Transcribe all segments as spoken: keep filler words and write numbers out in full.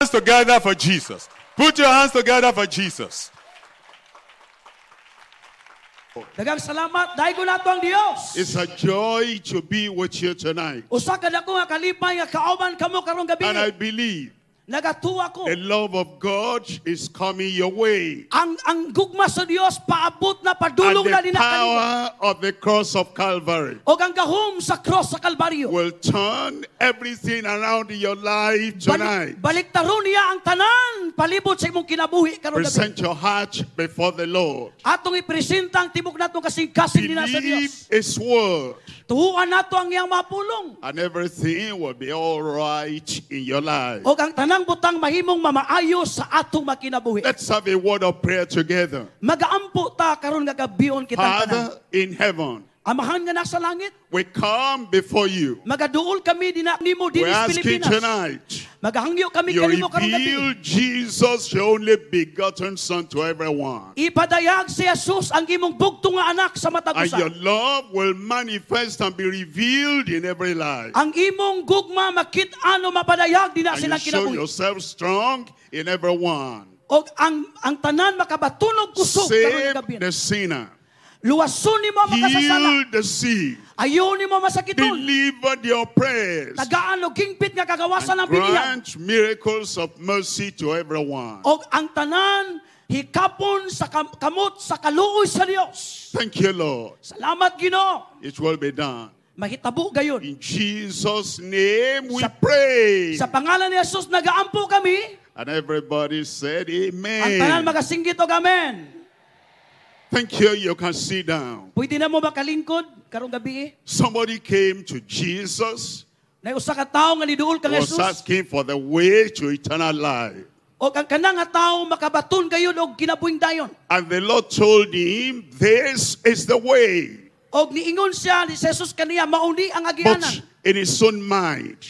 hands together for Jesus. Put your hands together for Jesus. Daghang salamat. Daygon nato ang Dios. It's a joy to be with you tonight. Usa ka dako nga kalipay nga kauban kamo karong gabi. And I believe Nagatuo ako. the love of God is coming your way. Ang ang gugma sa Dios paabot na And padulong na the dinha kanimo. power of the cross of Calvary Og ang gahom sa cross sa Kalbaryo. will turn everything around in your life tonight. Balik, baliktaron niya ang tanan palibot sa imong kinabuhi karong gabi. Present your heart before the Lord. Atong ipresenta ang tibok natong kasing-kasing dinha sa Believe Dios. His word, Tuohan nato ang iyang mapulong. and everything will be all right in your life. Og ang tanang butang mahimong mamaayo sa atong makinabuhi. Let's have a word of prayer together. Magaampo ta karon nga gabion kitang tanan. Father in heaven, Amahan nga nasa langit, we come before you. magaduol kami dinha nimo We're dinhi sa asking Pilipinas. tonight, Magahangyo kami you kanimo karong gabi. reveal Jesus, your only begotten Son, to everyone. Ipadayag si Jesus ang imong bugtong nga anak sa matag And usa. your love will manifest and be revealed in every life. Ang imong gugma makit-an o mapadayag dinha And you silang show kinabuhi. yourself strong in everyone. Og ang ang tanan makabatunog kusog karong Save gabi. the sinner. Luwason nimo ang makasasala. Heal the sick. Ayo nimo masakiton. Deliver the oppressed. Tagaan og hingpit nga kagawasan And ang binihag. grant miracles of mercy to everyone. Og ang tanan hikapon sa kam- kamot sa kaluoy sa Dios. Thank you, Lord. Salamat Ginoo. It will be done. Mahitabo gayon. In Jesus' name we Sa- pray. Sa pangalan ni Jesus nagaampo kami. And everybody said, Ang tanan Amen. magasinggit og amen. Thank you. You can sit down. Pwede na mo makalingkod karong gabi eh. Somebody came to Jesus, Nay usa ka tawo nga niduol kang was Jesus. asking for the way to eternal life. Og ang kanang nga tawo makabaton gayon og kinabuhing dayon. And the Lord told him, This is the way. Og niingon siya ni Jesus kaniya mao ni ang But agianan. in his own mind,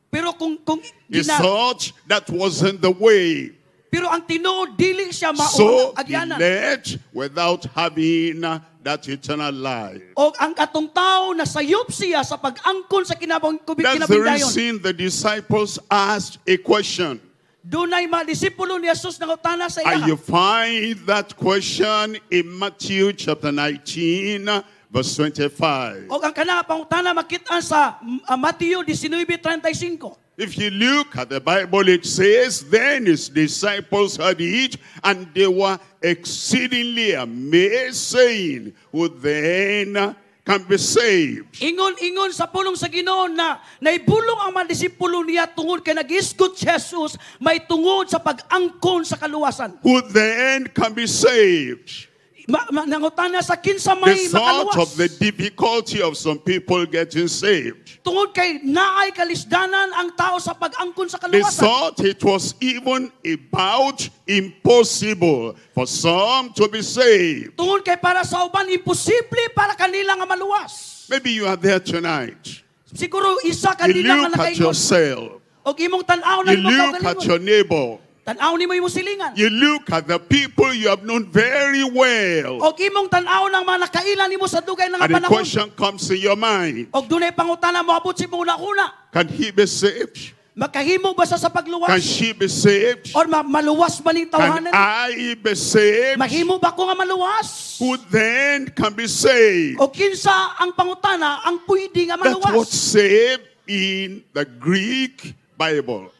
Pero kung kung he gina, thought that wasn't the way. pero ang tinuod dili siya mao So ang he agianan. left without having that eternal life. Og ang katong tao nasayop siya sa pag-angkon sa kinabang That's the kinabuhing dayon. reason the disciples asked a question. Dunay mga disipulo ni Jesus nangutana sa And iya. you find that question in Matthew chapter nineteen, verse twenty-five. Og ang kanang pangutana makit-an sa uh, Mateo nineteen thirty-five. If you look at the Bible, it says, "Then his disciples heard it, and they were exceedingly amazed, saying, 'Who then can be saved?'" Ingon-ingon sa pulong sa Ginoo na naibulong ang mga disipulo niya tungod kay nagisgot si Jesus may tungod sa pag-angkon sa kaluwasan. Who then can be saved? Ma, ma, nangutana sa kinsa may The thought makaluwas. of the difficulty of some people getting saved. Tungod kay naay kalisdanan ang tao sa pag-angkon sa They kaluwasan. thought it was even about impossible for some to be saved. Tungod kay para sa uban imposible para kanila nga maluwas. Maybe you are there tonight. Siguro isa You kanila nga look at nakaingon. yourself. Og imong tan-aw na You imong look at kaugalingon. your neighbor. Tan-aw nimo imong silingan. You look at the people you have known very well. Og imong tan-aw ng mga nakaila nimo sa dugay nga And the panahon. question comes in your mind. Og dunay pangutana moabot sa imong una-una. Can he be saved? Makahimo ba siya sa pagluwas? Can she be saved? Or ma- maluwas ba ning Can tawhanan? I be saved? Mahimo ba ko nga maluwas? Who then can be saved? O kinsa ang pangutana ang pwede nga That's what maluwas? saved in the Greek Bible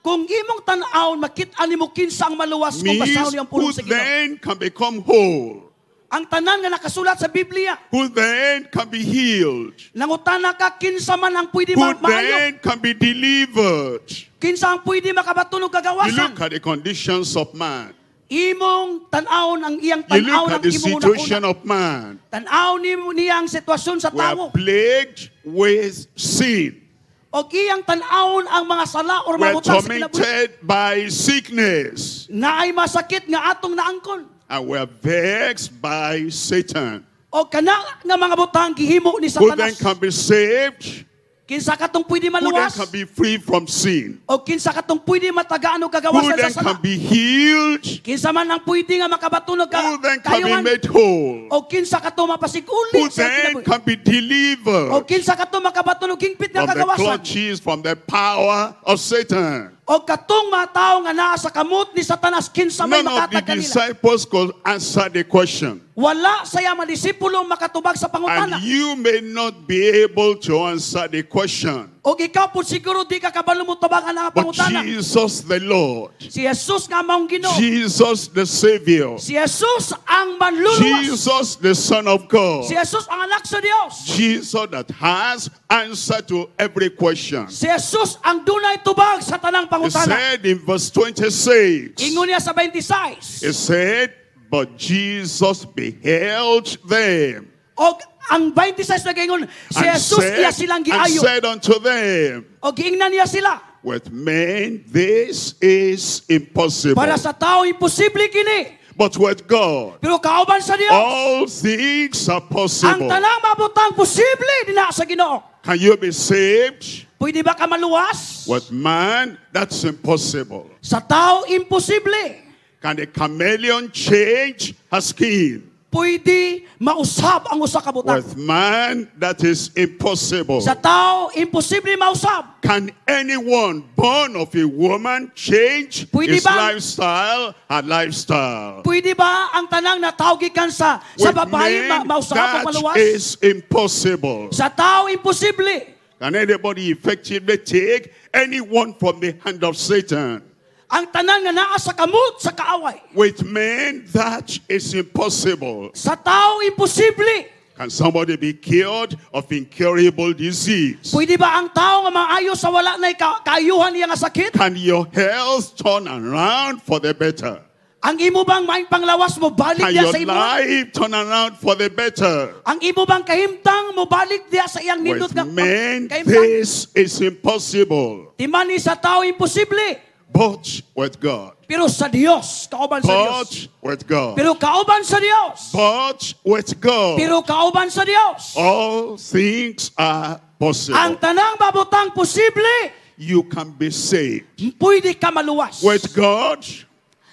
Kung imong tan-awon makit-an nimo kinsa ang maluwas kung means basahon niyo ang who pulong sa Ginoo. then can become whole, Ang tanan nga nakasulat sa Biblia, who then can be healed, nangutana ka kinsa man ang pwede who ma- maayo, then can be delivered. Kinsa ang pwede makabaton og You kagawasan. look at the conditions of man. Imong tan-awon ang iyang You tan-awon look ang at the imong situation una-una. of man. Tan-aw nimo niya ang sitwasyon sa We are tawo. plagued with sin. Og iyang tan-awon ang mga sala or We are mga butang sa kinabuhi. tormented by sickness. Naay masakit nga atong naangkon. And we are vexed by Satan. O kana nga mga butang gihimo ni Who then Satanas. can be saved? Kinsa katong pwede Who then maluwas? can be free from sin? O kinsa katong pwede matagaan og Who kagawasan sa then sala? can be healed? Kinsa man ang pwede nga makabaton og ka Who then can be kayuhan? made whole? O kinsa kato mapasiguli Who sa then kinabuhi? can be delivered O kinsa kato makabaton og hingpit nga from the kagawasan? clutches, from the power of Satan? O katong mga tawo nga naa sa kamot ni Satanas kinsa may None of the makatag kanila? disciples could answer the question. Wala sa iya mga disipulo makatubag sa pangutana. And you may not be able to answer the question. O ikaw po siguro di ka kabalo mo tubag ang But pangutana. Jesus the Lord, Si Jesus nga maong Ginoo. Jesus the Savior, Si Jesus ang manluluwas. Jesus the Son of God, Si Jesus ang anak sa Dios. Jesus that has answer to every question. Si Jesus ang dunay tubag sa tanang He pangutana. said in verse twenty-six, Ingon niya sa twenty-six. he said, "But Jesus beheld them." Og ang twenty-six nagaingon, si And Jesus iya said, silang and giayo. said unto them, Og giingnan niya sila. "With men this is impossible, Para sa tao imposible kini. but with God Pero kauban sa Dios, all things are ang possible." tanang mabutang posible dinha sa Ginoo. Can you be saved? Pwede ba ka maluwas? With man, that's impossible. Sa tao imposible. Can a chameleon change her skin? Pwede mausab ang usa ka butang. With man, that is impossible. Sa tao imposible mausab. Can anyone born of a woman change Pwede his ba? lifestyle, her lifestyle? Pwede ba ang tanang natawo gikan sa sa With babae ma men, mausab ang that maluwas? is impossible. Sa tao imposible. Can anybody effectively take anyone from the hand of Satan? Ang tanan nga naa sa kamot sa kaaway. With men, that is impossible. Sa tao imposible. Can somebody be cured of incurable disease? Pwede ba ang tao nga maayo sa wala na ka kaayuhan niya nga sakit? Can your health turn around for the better? Ang imo bang maing panglawas mo balik Can diya your sa imo? life turn around for the better? Ang imo bang kahimtang mo balik diya sa iyang nindot With nga men, kahimtang? this is impossible. Timani sa tao imposible. But with God. Pero sa Dios, kauban sa Dios. But with God. Pero kauban sa Dios. But with God. Pero kauban sa Dios. All things are possible. Ang tanang mabutang posible, You can be saved. pwede ka maluwas. With God,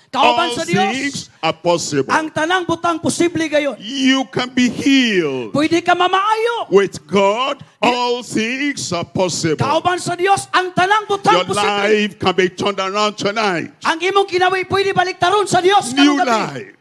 Kauban all sa Dios, things are possible. ang tanang butang posible gayon. You can be healed. Pwede ka mamaayo. With God, all things are possible. Kauban sa Dios, ang tanang butang Your posible. life can be turned around tonight. Ang imong kinabuhi pwede baliktaron sa Dios New karong gabi. life.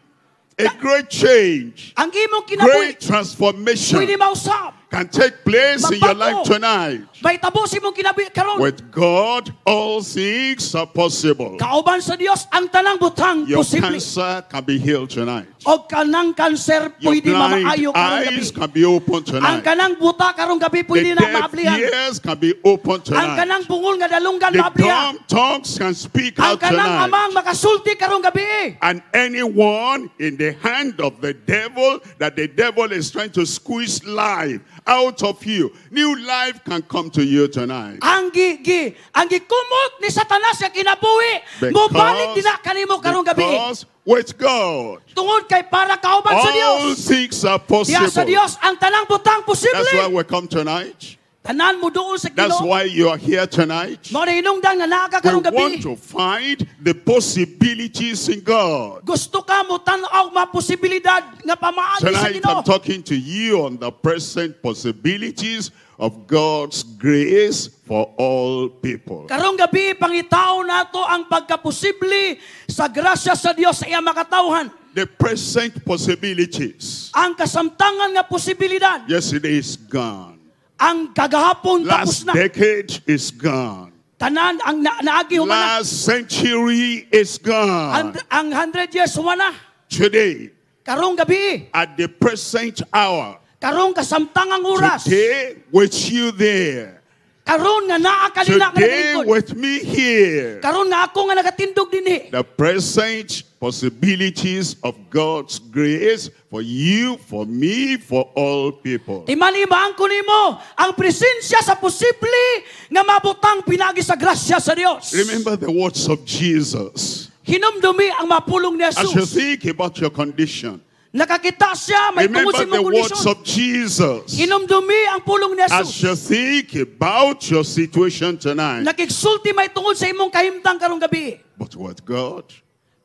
A great change. Ang imong kinabuhi Great transformation pwede mausab. can take place in your Magbago. life tonight. May tabo sa imong kinabuhi karon. With God, all things are possible. Kauban sa Dios, ang tanang butang Your posible. cancer can be healed tonight. O kanang kanser Your pwede blind mamaayo karong gabi. eyes can be opened Ang tonight. kanang buta karong gabi pwede The na deaf maablihan. ears can be opened Ang tonight. kanang bungol nga dalunggan The maablihan. dumb tongues can speak Ang out kanang tonight. amang makasulti karong gabi. And anyone in the hand of the devil that the devil is trying to squeeze life out of you, new life can come to you tonight. Ang gi, gi ang gikumot ni Satanas nga kinabuhi, mobalik din na kanimo karong gabi. Because with God, Tungod kay para kauban sa all Dios. things are Diya sa possible. Dios ang tanang butang That's why posible. we come tonight. Tanan mo doon sa That's Ginoo. why you are here tonight. Mao na hinungdan nga naa ka We karong gabi. want to find the possibilities in God. Gusto ka mo tan-aw mga posibilidad nga pamaagi sa Tonight Ginoo. I'm talking to you on the present possibilities of God's grace for all people. Karong gabi pangitaon nato ang pagkaposible sa grasya sa Dios sa iyang makatawhan. The present possibilities. Ang kasamtangan nga posibilidad, Yesterday is gone. ang kagahapon tapos Last na. decade is gone. Tanan ang na, naagi humana. Last century is Ang gone. ang one hundred years humana. Today, Karong gabi, at the present hour, karong kasamtangang oras, today with you there, karon nga naa kanina nga today nagalingkod. with me here, Karon nga ako nga nagatindog dinhi. the present possibilities of God's grace for you, for me, for all people. Timani maangko nimo ang presensya sa posible nga mabutang pinagi sa grasya sa Dios. Remember the words of Jesus. Hinumdumi ang mapulong ni As you Jesus. think about your condition, Nakakita siya may tungod Remember sa the imong words kondisyon. of Jesus. Inumdumi ang pulong ni As Jesus. you think about your situation tonight. Nakigsulti may tungod sa imong kahimtang karong gabi. But with God,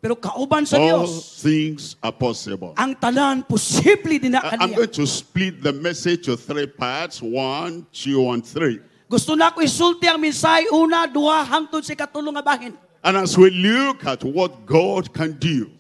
Pero kauban sa all Dios, things are possible. ang tanan posible din na I- I'm kaniya. going to split the message to three parts. One, two, and three. Gusto na ko isulti ang mensahe una, duha, hangtod sa ikatulo nga bahin. And as we look at what God can do,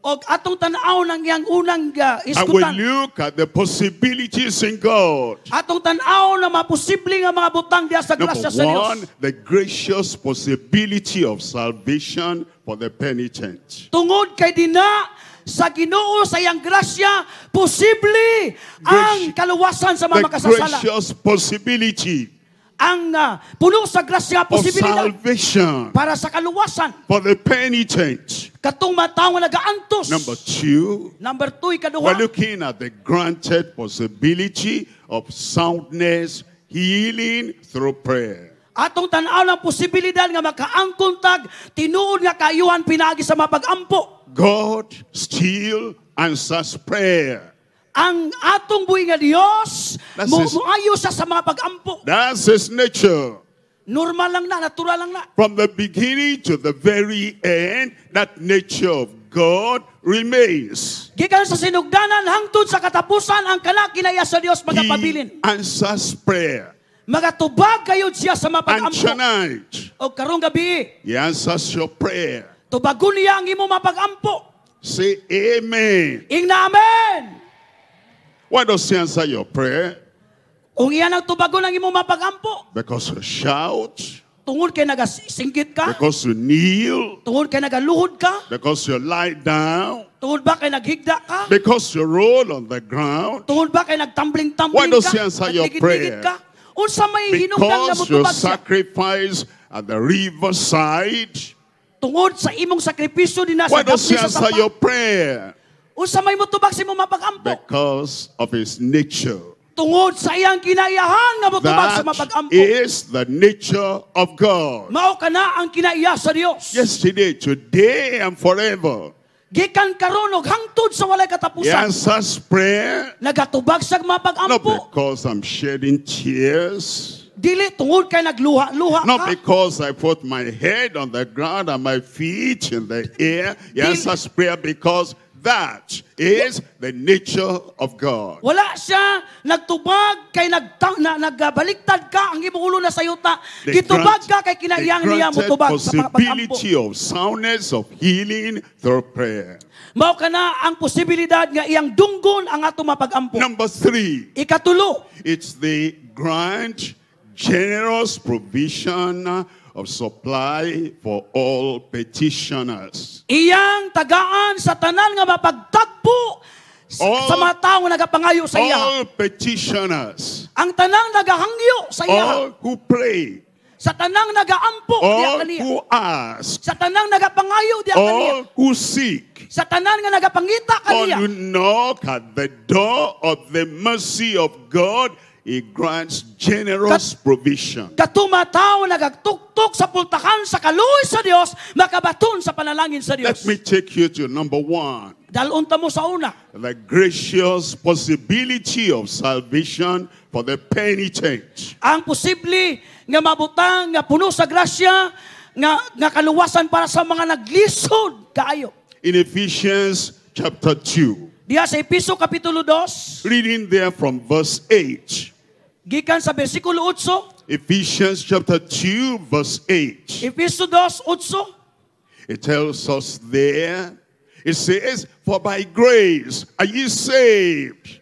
Og atong tan-aw ng iyang unang uh, and we iskutan. look at the possibilities in God. Atong tan-aw na maposible nga mga butang diha sa Number grasya sa Dios. one, the gracious possibility of salvation for the penitent. Tungod kay dina sa Ginoo sa iyang grasya, posible ang kaluwasan sa mga The makasasala. gracious possibility Ang uh, puno sa grasya of posibilidad salvation para sa kaluwasan. for the penitent. Katong mga tawo nga nagaantos. Number two, Number two, ikaduha. we're looking at the granted possibility of soundness, healing through prayer. Atong tan-aw ng posibilidad nga makaangkon tag tinuod nga kaayuhan pinaagi sa mapagampo. God still answers prayer. Ang atong buhi nga Dios That's mo his- moayo siya sa mga pagampo. That's his nature. Normal lang na, natural lang na. From the beginning to the very end, that nature of God remains. Gikan sa sinugdanan hangtod sa katapusan ang kana kinaiya sa Dios He magapabilin. answers prayer. Magatubag gayud siya sa And mapagampo. tonight, O karong gabi, he answers your prayer. tubagon niya ang imong mapagampo. Say amen. Ingna amen. Why does he answer your prayer? Kung iyan ang tubagon ang imong mapagampo, Because you shout, tungod kay nagasinggit ka, because you kneel, tungod kay nagaluhod ka, because you lie down, tungod ba kay naghigda ka, because you roll on the ground, tungod ba kay nagtambling-tambling Why does ka, he answer your nagligid-ligid prayer? ka? Unsa may hinungdan nga because you motubag siya? sacrifice at the riverside. Tungod sa imong sakripisyo dinha sa Why does he dapli sa answer sapa. your prayer? Unsa may motubag sa imong mapagampo? Because of his nature. Tungod sa iyang kinaiyahan nga motubag sa That mapagampo. is the nature of God. Mao kana ang kinaiya sa Dios. Yesterday, today, and forever. Gikan karon og hangtod sa walay He katapusan. answers prayer Nagatubag siya not mapagampo. because I'm shedding tears, Dili tungod kay nagluha-luha not ka. because I put my head on the ground and my feet in the air. He answers prayer because that is the nature of God. Wala siya nagtubag kay nagtang, na, nagbaliktad ka ang imong ulo na sa yuta. The Gitubag grant- ka kay kinaiyan the niya granted motubag sa mga pagampo. possibility of soundness of healing through prayer. Mao kana ang posibilidad nga iyang dunggon ang atong mapagampo. Number three, Ikatulo, it's the grant generous provision of supply for all petitioners. iyang tagaan sa tanan nga mapagtagpo s- All- sa mga tawo nga nagapangayo sa iya. All petitioners, Ang tanang nagahangyo sa iya. all who pray, Sa tanang nagaampo diha all kaniya. who ask, Sa tanang nagapangayo diha kaniya. all who seek, Sa tanan nga nagapangita all kaniya. who knock at the door of the mercy of God, He grants generous provision. Katuma tao nagagtuktok sa pultakan sa kaluoy sa Dios, makabaton sa panalangin sa Let Dios. me take you to number one. Dalon ta mo sa una. The gracious possibility of salvation for the penitent. Ang posible nga mabutang nga puno sa grasya nga nga kaluwasan para sa mga naglisod kaayo. In Ephesians chapter two, Diha sa Episo kapitulo two, reading there from verse eight. gikan sa bersikulo eight, Ephesians chapter two, verse eight. Episo two, eight, It tells us there, it says, For by grace are ye saved.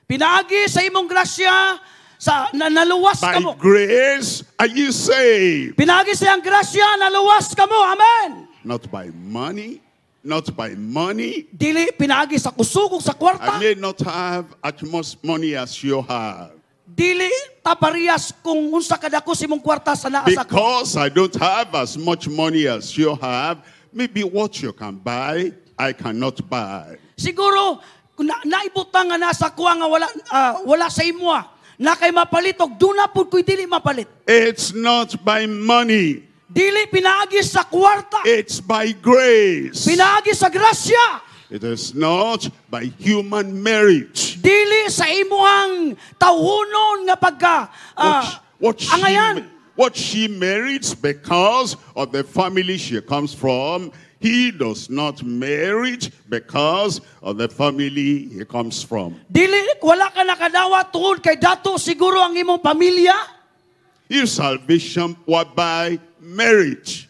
pinaagi sa imong grasya sa na, naluwas By kamo. grace are ye saved. Pinaagi sa iyang grasya naluwas kamo. Amen. Not by money, not by money. Dili pinaagi sa kusog ug sa I kwarta. may not have as much money as you have. Dili ta parehas kung unsa kadako sa imong kwarta sa naa sa ako. Because I don't have as much money as you have, maybe what you can buy, I cannot buy. Siguro kung na, naibutang nga nasa kuha nga wala ah, wala sa imoha. Na kay mapalit og duna pud ko'y dili mapalit. It's not by money, Dili pinaagi sa kwarta. it's by grace. Pinaagi sa grasya. It is not by human merit. Dili sa imuhang tawhonon nga pagka ah, What, what, she, angayan. what she merits because of the family she comes from, he does not merit because of the family he comes from. Dili wala ka nakadawat tungod kay dato siguro ang imong pamilya. If salvation were by merit,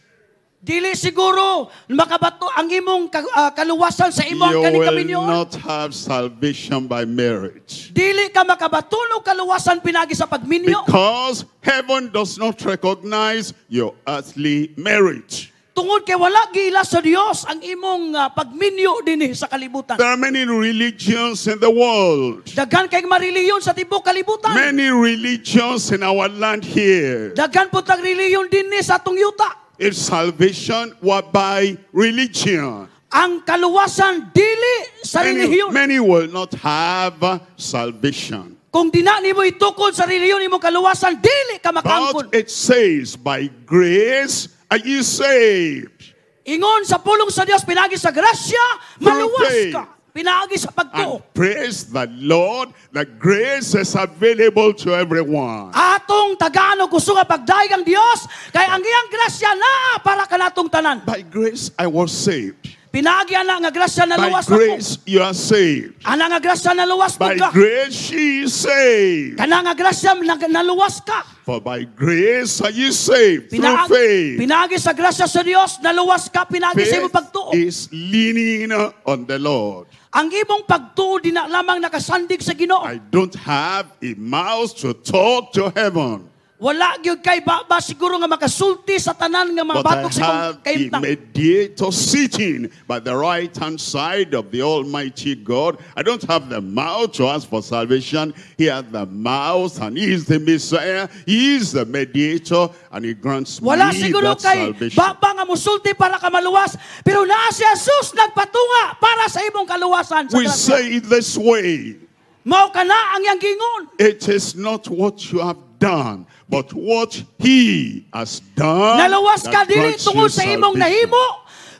Dili siguro makabato ang imong ka- ah, kaluwasan sa imong you kaning will kaminyoon. not have salvation by merit. Dili ka makabaton og kaluwasan pinagi sa pagminyo. Because heaven does not recognize your earthly merit. Tungod kay wala giila sa Dios ang imong ah, pagminyo dinhi sa kalibutan. There are many religions in the world. Daghan kay mga relihiyon sa tibuok kalibutan. Many religions in our land here. Daghan pud tag relihiyon dinhi sa atong yuta. If salvation were by religion, Ang kaluwasan dili sa many, relihiyon. many will not have salvation. Kung dina nimo itukod sa relihiyon imong kaluwasan, dili ka makaangkon. But it says, by grace are you saved. Ingon sa pulong sa Dios pinagi sa grasya, maluwas faith. ka. Pinagi sa pagtuo. And praise the Lord, the grace is available to everyone. Atong tagaan og kusog nga pagdayeg ang Dios kay ang iyang grasya naa para kanatong tanan. By grace I was saved. Pinaagi ana nga grasya By naluwas ako. grace you are saved. Ana nga grasya naluwas By pud ka. grace she is saved. Kana nga grasya nag- naluwas ka. For by grace are you saved through Pinaagi, faith. pinaagi sa grasya sa Dios, naluwas ka pinaagi sa imong Faith pagtuo. is leaning on the Lord. Ang imong pagtuo di na lamang nakasandig sa Ginoo. I don't have a mouth to talk to heaven, Wala gyud kay baba siguro nga makasulti sa tanan nga but I mabatok sa imong have a kahimtang. mediator sitting by the right hand side of the Almighty God. I don't have the mouth to ask for salvation. He has the mouth and he is the Messiah. He is the mediator and he grants Wala me siguro that kay salvation. baba nga musulti para ka maluwas, pero naa si Jesus nagpatunga para sa imong kaluwasan sa We grasya. say it this way. Mao kana ang iyang giingon. It is not what you have done, but what he has done. Naluwas ka that dili grants tungod you sa imong salvation. nahimo,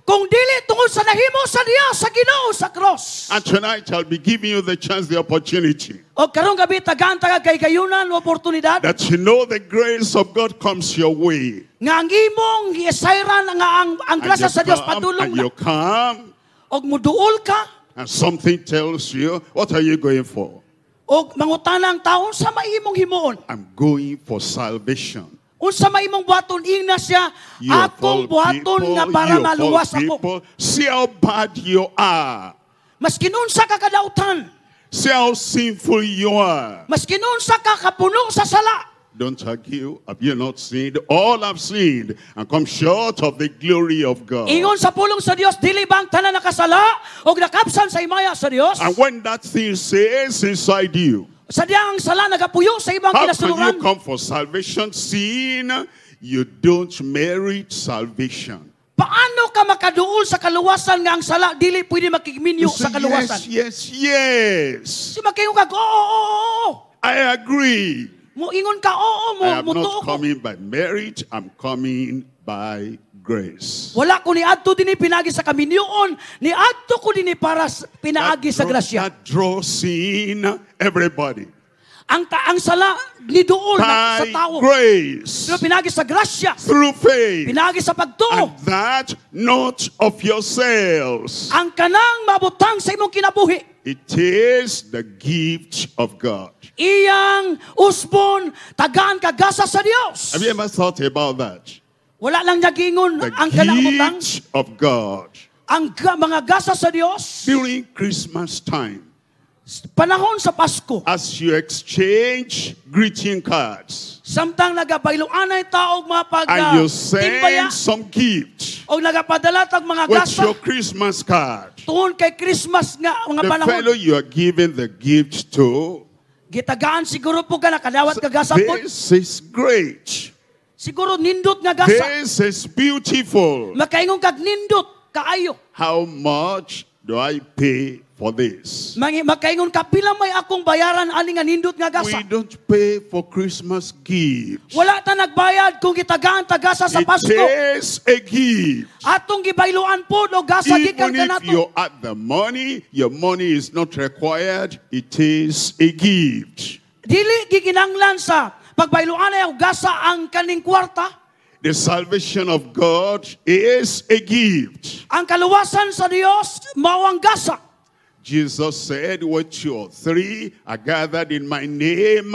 kung dili tungod sa nahimo sa Dios sa Ginoo sa cross. And tonight I'll be giving you the chance, the opportunity, O karong gabi tagaan taga kay kayunan o oportunidad that you know the grace of God comes your way. nga ang imong gisayran nga ang ang And grasya you sa Dios come, padulong and na. you come, Og muduol ka and something tells you, what are you going for? og mangutana ang tao unsa may imong himuon. I'm going for salvation. Unsa may imong buhaton ingna siya You of all akong buhaton people, nga para you of all maluwas ako. people, see how bad you are. Maskin unsa ka kadautan, See how sinful you are. maskin unsa ka kapuno sa sala. Don't argue. Have you not sinned? All have sinned and come short of the glory of God. Ingon sa pulong sa Dios, dili ba ang tanan nakasala og nakabsan sa himaya sa Dios? And when that thing says inside you, Sa diyang ang sala nagapuyo sa ibang how can you kinasuluran. come for salvation? Seeing you don't merit salvation. Paano ka makaduol sa kaluwasan nga ang sala dili pwede makigminyo You say, sa kaluwasan? yes, yes, yes. Si makingon ka, oo, oo, oo, oo. I agree. Mo ingon ka, oo, mo I am mutuo not ko. coming by merit. I'm coming by grace. Wala ko ni adto dinhi pinaagi sa kaminyoon, ni adto ko dinhi para sa- pinaagi sa draw- grasya. that draws in everybody. Ang ta ang sala ni duol na, sa By tao. grace. Pero pinaagi sa grasya, Through faith. pinaagi sa pagtuo. And that not of yourselves. Ang kanang mabutang sa imong kinabuhi, It is the gift of God. iyang usbon tagaan kagasa sa Dios. Have you ever thought about that? Wala lang niya giingon The ang kanang butang, gift of God. ang ga- mga gasa sa Dios. During Christmas time, Panahon sa Pasko, as you exchange greeting cards samtang nagapailoanay ta og mga pag and ah, you timbaya send some gift og nagapadala tag mga with gasa your Christmas card, tungod kay Christmas nga mga the panahon. fellow you are giving the gift to, Gitagaan siguro po ka nakadawat ka gasa po. this is great. Siguro nindot nga gasa. This is beautiful. Makaingon kag nindot kaayo. How much do I pay for this? Mangi makaingon ka pila may akong bayaran ani nga nindot nga gasa. We don't pay for Christmas gifts. Wala ta nagbayad kung gitagaan ta gasa sa It Pasko. is a gift. Atong gibayluan pod og gasa gikan Even if kanato. you add the money, your money is not required. It is a gift. Dili gikinanglan sa pagbayluan ay og gasa ang kaning kwarta. The salvation of God is a gift. Ang kaluwasan sa Dios mao ang gasa. Jesus said, Where two or three are gathered in my name,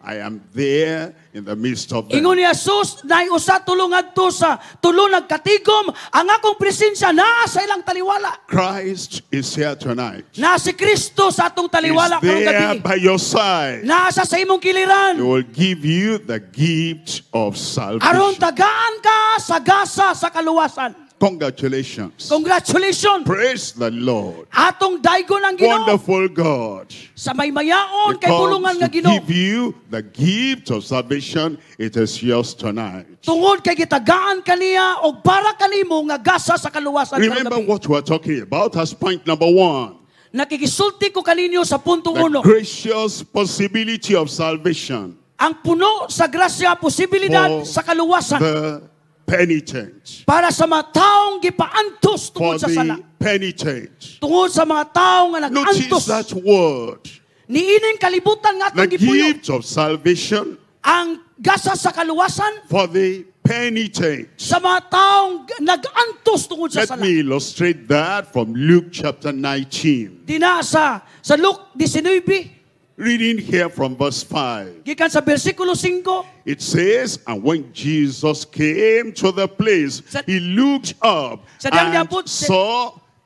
I am there in the midst of them. Ingon ni Jesus, naay usa tulo ngadto sa tulo nagkatigom, ang akong presensya naa sa ilang taliwala. Christ is here tonight. Naa si Kristo sa atong He's taliwala karong there gabi. by your side. Naa siya sa imong He kiliran. will give you the gift of Aron salvation. tagaan ka sa gasa sa kaluwasan. Congratulations. Congratulations. Praise the Lord. Atong daygon ang Ginoo Wonderful God. sa maymayaon He kay bulungan comes nga to Ginoo. give you the gift of salvation. It is yours tonight. Tungod kay gitagaan kaniya og para kanimo nga gasa sa kaluwasan karong Remember gabi. what we're talking about as point number one. Nakikisulti ko kaninyo sa punto The uno. gracious possibility of salvation Ang puno sa grasya posibilidad for sa kaluwasan the penitent. para sa mga taong gipaantos For tungod sa sala. the penitent. Tungod sa mga taong nga Notice nag-antos. that word. Niining kalibutan nga The atong gipuyo. gift of salvation Ang gasa sa kaluwasan for the penitent. sa mga taong nag-antos tungod sa Let sala. me illustrate that from Luke chapter nineteen. Dina sa sa Luke nineteen, Reading here from verse five. gikan sa bersikulo five, It says, and when Jesus came to the place, Sa- he looked up Sa diyang and niabot, sa- saw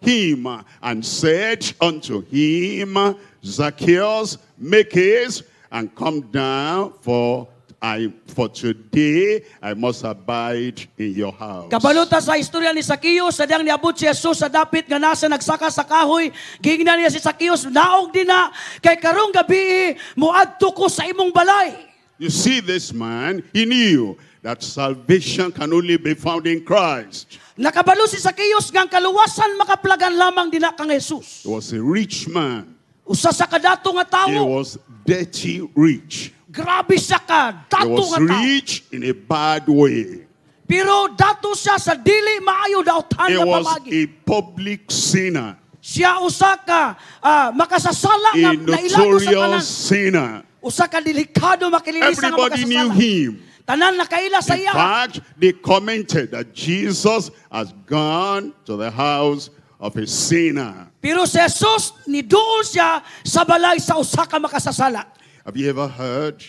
him and said unto him, Zacchaeus, make haste and come down, for I for today I must abide in your house. Kabalo ta sa istorya ni Zacchaeus, sa diyang niabot si Jesus sa dapit nga nasa nagsaka sa kahoy, giingnan niya si Zacchaeus, naog din na, kay karong gabi moadto ko sa imong balay. You see this man, he knew that salvation can only be found in Christ. Nakabalo si Zacchaeus nga ang kaluwasan makaplagan lamang dina kang Jesus. He was a rich man. Usa sa kadato nga He tawo, was dirty rich. grabe siya ka, He dato was nga tao. rich in a bad way. Pero dato siya sa dili maayo dautan He nga was pamagi. a public sinner, Siya usa ka ah, makasasala nga a nailago sa tanan. notorious sinner. Usa ka delikado makililisa nga Everybody knew makasasala. him. Tanan nakaila sa In iya. fact, they commented that Jesus has gone to the house of a sinner. Pero si Jesus niduol siya sa balay sa usa ka makasasala. Have you ever heard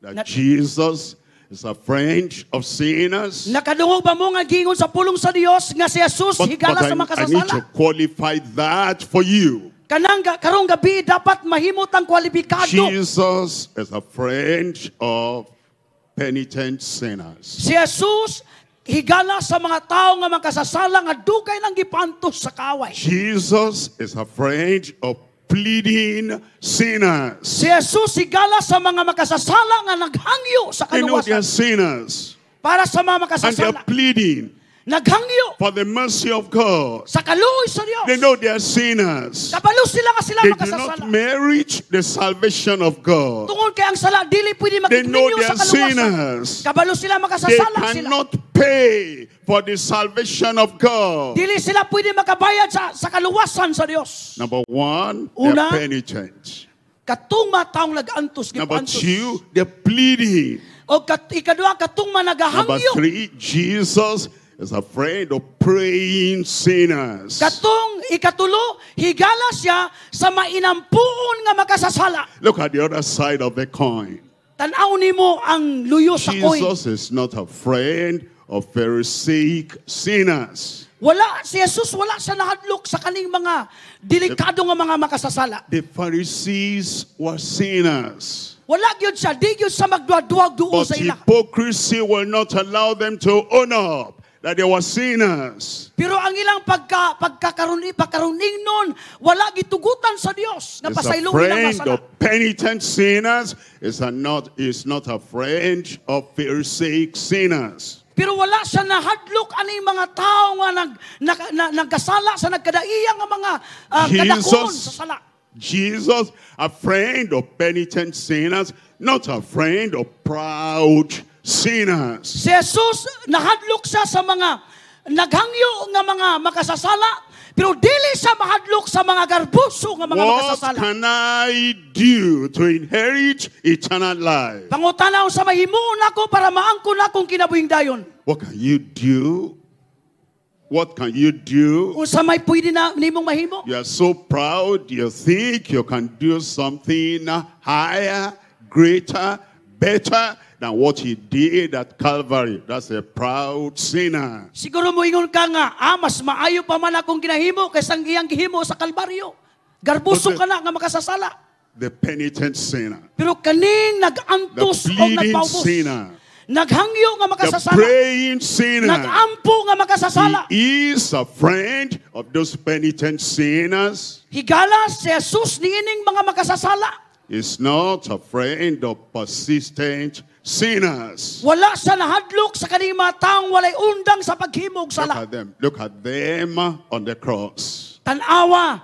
that Na- Jesus is a friend of sinners? Nakadungog ba mo nga giingon sa pulong sa Dios nga si Jesus But, but higala I, sa I need makasasala? to qualify that for you. Kanang ga- karong gabi dapat mahimot ang kwalipikado. Jesus is a friend of penitent sinners. Si Jesus higala sa mga tao nga makasasala nga dugay nang gipantos sa kaway. Jesus is a friend of pleading sinners. Si Jesus higala sa mga makasasala nga naghangyo sa They know they are kaluwasan. sinners Para sa mga and they are makasasala, pleading naghangyo for the mercy of God. sa kaluoy sa Dios. They know they are sinners. Kabalo sila nga sila They do makasasala. not merit the salvation of God. Tungod kay ang sala dili pwede They know makigminyo they sa are kaluwasan. sinners. Kabalo sila They makasasala sila. cannot pay for the salvation of God. Dili sila pwede makabayad sa sa kaluwasan sa Dios. Number one, they're Una, penitent. Katong mga taong nag-antos, Number gipantos. two, they're pleading. O kat, ikadua, katong mga Number nagahangyo. three, Jesus is a friend of praying sinners. Katong ikatulo, higala siya sa mainampuon nga makasasala. Look at the other side of the coin. Tanaw nimo ang luyo sa coin. Jesus is not a friend of Pharisaic sinners. Wala si Jesus wala siya nahadlok sa kaning mga delikado nga mga makasasala. The Pharisees were sinners. Wala gyud siya, di gyud siya magduwa-duwag duol But sa ila. hypocrisy will not allow them to own up that they were sinners. Pero ang ilang pagka pagkakaroon pagkaruning nun, wala gitugutan sa Dios nga Is a pasaylong ilang friend masala. of penitent sinners, is a not, is not a friend of Pharisaic sinners. Pero wala siya nahadlok ani mga tao nga nag, nag, na, nagkasala sa nagkadaiya nga mga uh, kadakon sa sala. Jesus, a friend of penitent sinners, not a friend of proud sinners. Si Jesus nahadlok siya sa mga naghangyo nga mga makasasala, pero dili siya mahadlok sa mga garbuso nga mga What makasasala. can I do to inherit eternal life? Pangutana sa mahimuon nako para maangkon akong kinabuhing dayon. What can you do? What can you do? Unsa may pwede na nimong mahimo? You are so proud, you think you can do something higher, greater, better than what he did at Calvary. That's a proud sinner. Siguro mo ingon ka nga, ah, mas maayo pa man akong ginahimo kaysa ang iyang gihimo sa Kalbaryo. Garbuso ka na nga makasasala. The penitent sinner. Pero kaning nag-antos The o pleading nagpaubos. sinner. Naghangyo nga The makasasala. praying sinner. Nagampo nga makasasala. He is a friend of those penitent sinners. Higala si Jesus niining mga makasasala. He's not a friend of persistent sinners. Wala siya nahadlok sa kaning mga taong walay undang sa paghimog Look sala. at them. Look at them on the cross. Tanawa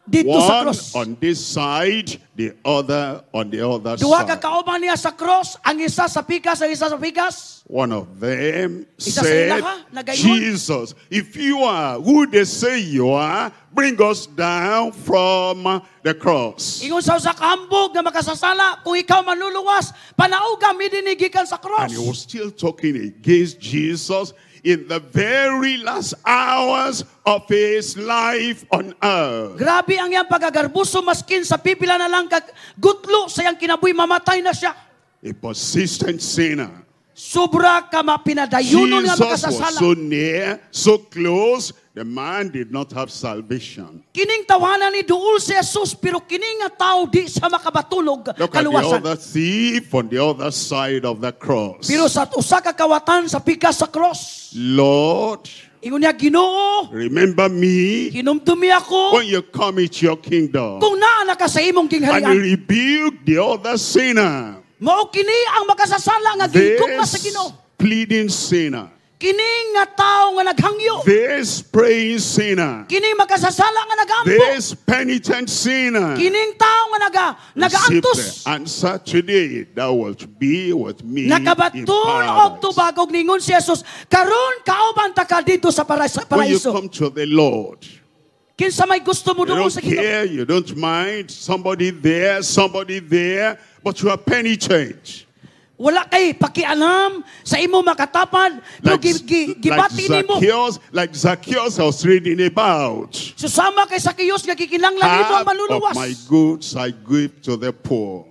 dito sa One cross. on this side, the other on the other Duha ka side. kauban niya sa cross, ang isa sa pikas, ang isa sa pikas. One of them Isa sa said, ilaha, nagaingon. Jesus, if you are who they say you are, bring us down from the cross. Ingon sa usa ka hambog nga makasasala, kung ikaw manluluwas, panauga mi dinhi gikan sa cross. And he was still talking against Jesus in the very last hours of his life on earth. Grabe ang iyang pagagarbuso maskin sa pipila na lang kag gutlo sa iyang kinabuhi mamatay na siya. A persistent sinner. Sobra ka mapinadayunon nga Jesus was makasasala. so near, so close, the man did not have salvation. Kining tawanan ni duol si Jesus pero kini nga tao di sa makabatulog Look at the kaluwasan. other thief on the other side of the cross. Pero sa usa ka kawatan sa pikas sa cross, Lord, ingon niya Ginoo, remember me hinumdumi ako when you come into your kingdom. kung naa na ka sa imong And he gingharian. rebuked the other sinner. Mao kini ang makasasala nga gigugma sa This Ginoo. pleading sinner. Kini nga tao nga naghangyo. This praying sinner. Kini makasasala nga nagampo. This penitent sinner. Kining tao nga naga Receive nagaantos. the answer today. Thou wilt be with me in Nakabaton og paradise. tubag og ningon si Jesus, karon kauban ta ka dito sa para- sa When you paraiso. come to the Lord, Kinsa may gusto mo you duol don't sa Ginoo? care, you don't mind somebody there, somebody there, but you are penitent. Wala kay pakialam sa imo makatapad, pero Like, gi, gi, like gibati nimo. Zacchaeus, like Zacchaeus I was reading about. Susama kay Zacchaeus nga gikinahanglan nimo ang Half of manluluwas. my goods I give to the poor.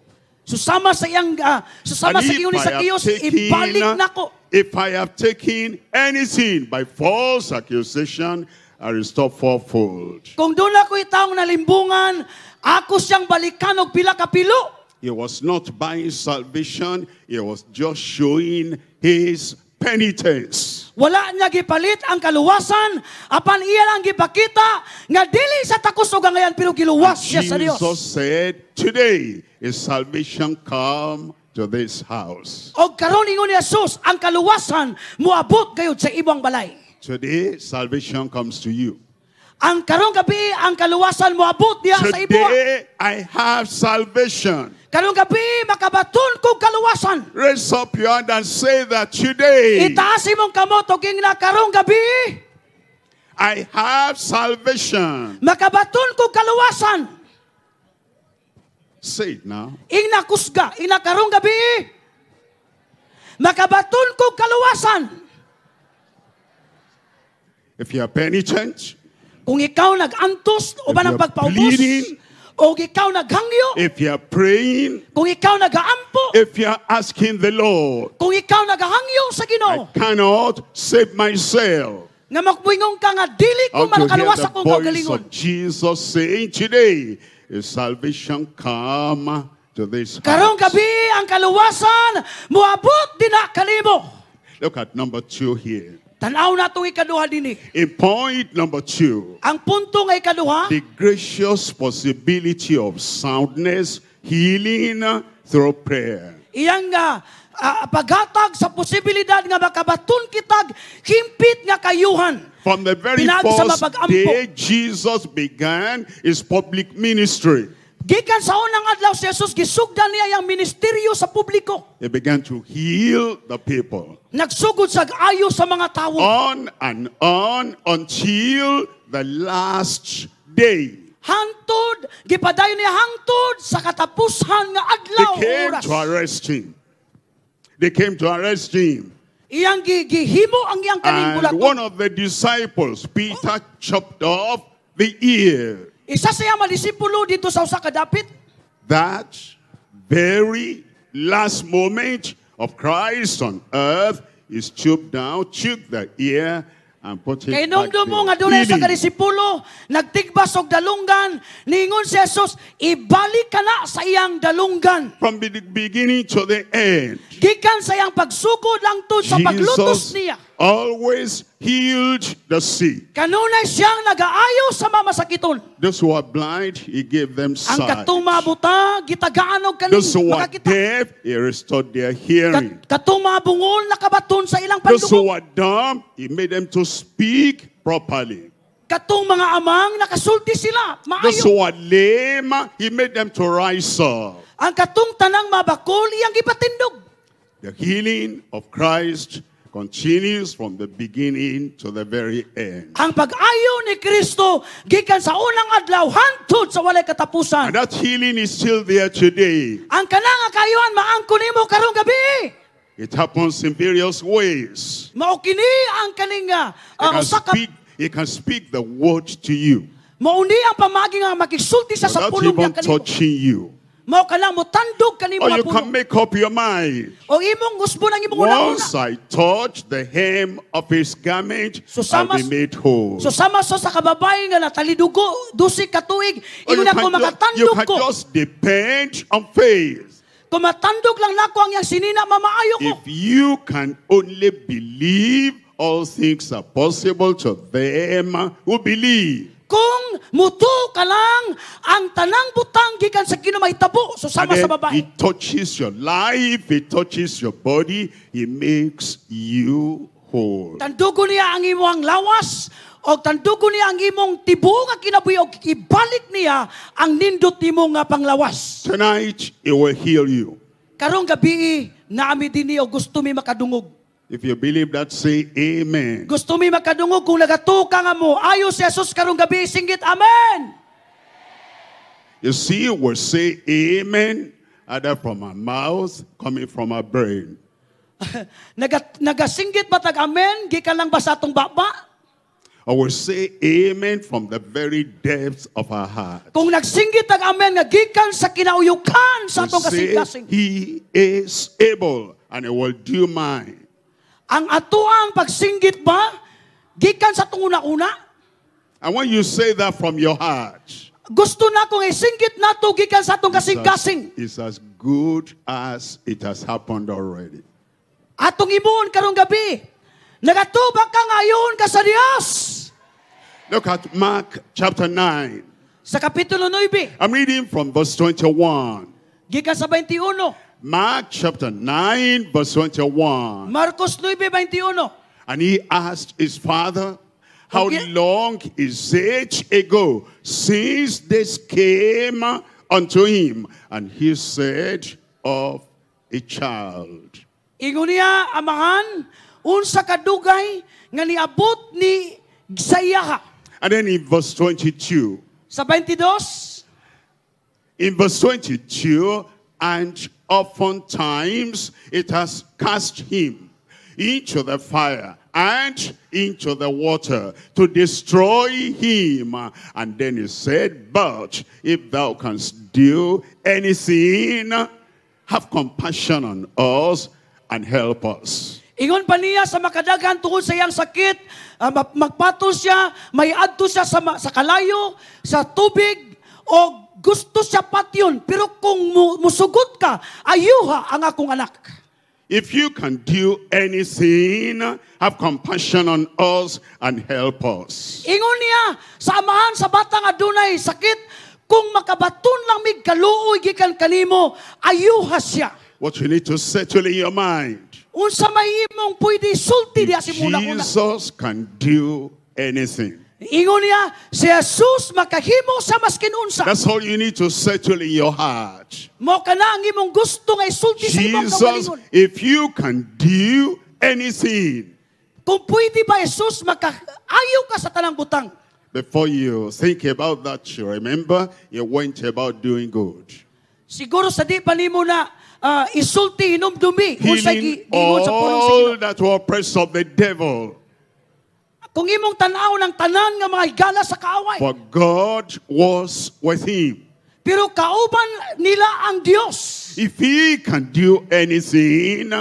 Susama sa iyang ah, susama And sa if ingon ni I have Zacchaeus, taken, ibalik nako. if I have taken anything by false accusation, I restore fourfold. Kung doon ako taong nalimbungan, ako siyang balikan og pila ka pilo. He was not buying salvation, he was just showing his penitence. Wala niya gipalit ang kaluwasan, apan iya lang gipakita nga dili sa takos og angayan pero giluwas siya sa Dios. Jesus said, Today is salvation come to this house. Og karon ingon ni Jesus, ang kaluwasan moabot gayud sa imong balay. Today, salvation comes to you. Ang karong gabi ang kaluwasan moabot diha sa imo. Today, I have salvation. Karong gabi makabaton kog kaluwasan. Raise up your hand and say that today, Itaas imong kamot og ingna karong gabi I have salvation. makabaton kog kaluwasan. Say it now. Ingna kusga, ingna karong gabi makabaton kog kaluwasan. If you are penitent, Kung ikaw nag-antos o ba If ng you're pagpaubos, bleeding, o ikaw naghangyo, if you are praying, kung ikaw nagaampo, if you are asking the Lord, kung ikaw nagahangyo sa I Ginoo, cannot save myself. nga magbuingon ka nga dili ko How to hear makaluwas the akong voice kaugalingon. of Jesus saying today, is salvation come to this Karong house. gabi ang kaluwasan moabot dinha kanimo. Look at number two here. Tan-aw na itong ikaduha dinhi. In point number two, Ang punto nga ikaduha, the gracious possibility of soundness, healing through prayer. iyang nga ah, paghatag sa posibilidad nga makabaton kitag himpit nga kayuhan. From the very Pinaagi sa first mapag-ampo. day Jesus began his public ministry, Gikan sa unang adlaw si Jesus gisugdan niya ang ministeryo sa publiko. he began to heal the people. Nagsugod sa ayo sa mga tawo. On and on until the last day. Hangtod, gipadayon niya hangtod sa katapusan nga They adlaw o came oras. to arrest him. They came to arrest him. Iyang gi- gihimo ang iyang kaning And bulaton. one of the disciples, Peter, chopped off the ear. Isa sa iyang mga disipulo didto sa usa ka dapit. That very last moment of Christ on earth is stooped down, took the ear, and put it Kay back hinumdum mo nga there. dunay sa Healing. kadisipulo, nagtigbas og dalunggan, niingon si Jesus, ibalik ka na sa iyang dalunggan. From the beginning to the end, Gikan sa iyang pagsugod langtod sa paglutos Jesus niya. always healed the sick. Kanunay siyang nagaayo sa mamasakiton. Those who are blind, he gave them Ang sight. katong mabuta, gitagaan og kaning Those who are makakita. deaf, he restored their hearing. Kat katong mga bungol nakabaton sa ilang Those who pandungog. are dumb, he made them to speak properly. Katong mga amang nakasulti sila, Those maayo. who are lame, he made them to rise up. Ang katong tanang mabakol iyang gipatindog. The healing of Christ continues from the beginning to the very end. Ang pag-ayo ni Kristo gikan sa unang adlaw hangtod sa walay katapusan. And that healing is still there today. Ang kanang kaayuhan maangkon nimo karong gabi. It happens in various ways. Mao kini ang kaning uh, He can usa ka speak, he can speak the word to you mao ni ang pamaagi nga makigsulti sa sa without pulong even niya kanimo. touching you. Mao ka lang motandog kanimo Or nga you can pulong. make up your mind. O imong usbon ang imong una-una. Once I touch the hem of his garment, So I'll sama be made whole. So sama so sa kababae nga natalidugo dusi ka tuig Or you ingon ako can, ju- you makatandog can ko. just depend on faith. Kung matandog lang nako ang iyang sinina mamaayo ko. If you can only believe, all things are possible to them who believe. Kung mutuo ka lang ang tanang butang gikan sa Ginoo mahitabo so And sama sa then babae. he touches your life, he touches your body, he makes you whole. Tandugo niya ang imong lawas o tandugo niya ang imong tibuok nga kinabuhi og ibalik niya ang nindot nimo nga panglawas. Tonight, he will heal you. Karong gabi naa mi dinhi og gusto mi makadungog. If you believe that, say amen. Gusto mi makadungog kung nagatuo ka nga mo ayo si Jesus karong gabi singgit amen. You see, we say amen either from our mouth, coming from our brain. Naga, nagasinggit ba tag amen gikan lang ba sa atong baba? Or we say amen from the very depths of our heart. Kung nagsinggit tag amen nga gikan sa kinauyukan sa We atong say, kasing-kasing. he is able and he will do mine. Ang atoang pagsinggit ba gikan sa atong una-una? And when you say that from your heart, Gusto na kong isinggit nato gikan sa atong it's as, kasing-kasing. it's as good as it has happened already. Atong imuon karong gabi. Nagatuo ba ka ngayon ka sa Dios. Look at Mark chapter nine. Sa Kapitulo nine, I'm reading from verse twenty-one. Gikan sa twenty-one. Mark chapter nine, verse twenty-one. Marcos nine twenty-one. And he asked his father, "How Okay. long is it ago since this came unto him?" And he said, "Of a child." Ingon niya, "Amahan, unsa kadugay nga niabot ni sa iyaha?" And then in verse twenty-two, Sa twenty-two, in verse twenty-two, "And oftentimes it has cast him into the fire and into the water to destroy him." And then he said, "But if thou canst do anything, have compassion on us and help us." Ingon pa niya sa makadaghan tungod sa iyang sakit, ah, ma- magpatol siya, may adto siya sa, ma- sa kalayo, sa tubig, o gusto siya patyon. Pero kung mu- musugot ka, ayuha ang akong anak. "If you can do anything, have compassion on us and help us." Ingon niya sa amahan sa bata nga adunay sakit, kung makabaton lang mig kaluoy gikan kanimo, ayuha siya. What you need to settle in your mind. Unsa may imong pwede sulti diha sa imong una. Jesus can do anything. Ingon niya, si Jesus makahimo sa maskin unsa. That's all you need to settle in your heart. Mao kana ang imong gusto nga isulti sa imong Jesus, kaugalingon. if you can do anything, Kung pwede ba Jesus makaayo ka sa tanang butang. before you think about that, you remember you went about doing good. Siguro sa di pa nimo na ah, isulti hinumdumi unsay Healing gi- giingon sa pulong sa all Ginoo. that were oppressed of the devil. Kung imong tan-aw ng tanan nga mga higala sa kaaway. For God was with him. Pero kauban nila ang Dios. If he can do anything,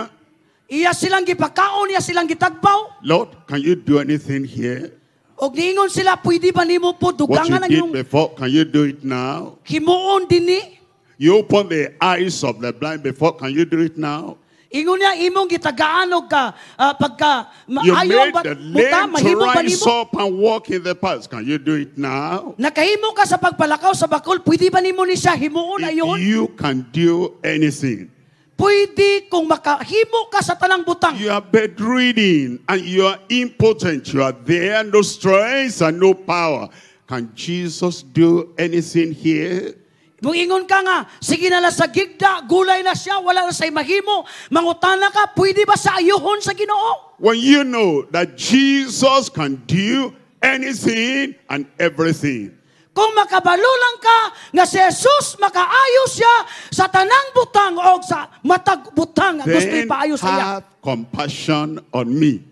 Iya silang gipakaon, iya silang gitagbaw. Lord, can you do anything here? Og niingon sila, pwede ba nimo po What you dugangan ang did imong before, can you do it now? himuon dinhi? You open the eyes of the blind before, can you do it now? Ingon niya imong gitagaan og ka ah, pagka You maayo made ba the buta lame to mahimo ba rise nimo? up and walk in the path. Can you do it now? Nakahimo ka sa pagpalakaw sa bakol, pwede ba nimo ni siya himuon If ayon? you can do anything. Pwede kung makahimo ka sa tanang butang. You are bedridden and you are impotent. You are there, no strength and no power. Can Jesus do anything here? Muingon ka nga, sige na lang sa gigda, gulay na siya, wala na sa'y mahimo. Mangutana ka, pwede ba sa ayuhon sa Ginoo? When you know that Jesus can do anything and everything. Kung makabalo lang ka nga si Jesus makaayo siya sa tanang butang o sa matag butang nga gusto Then ipaayo sa iya. have compassion on me.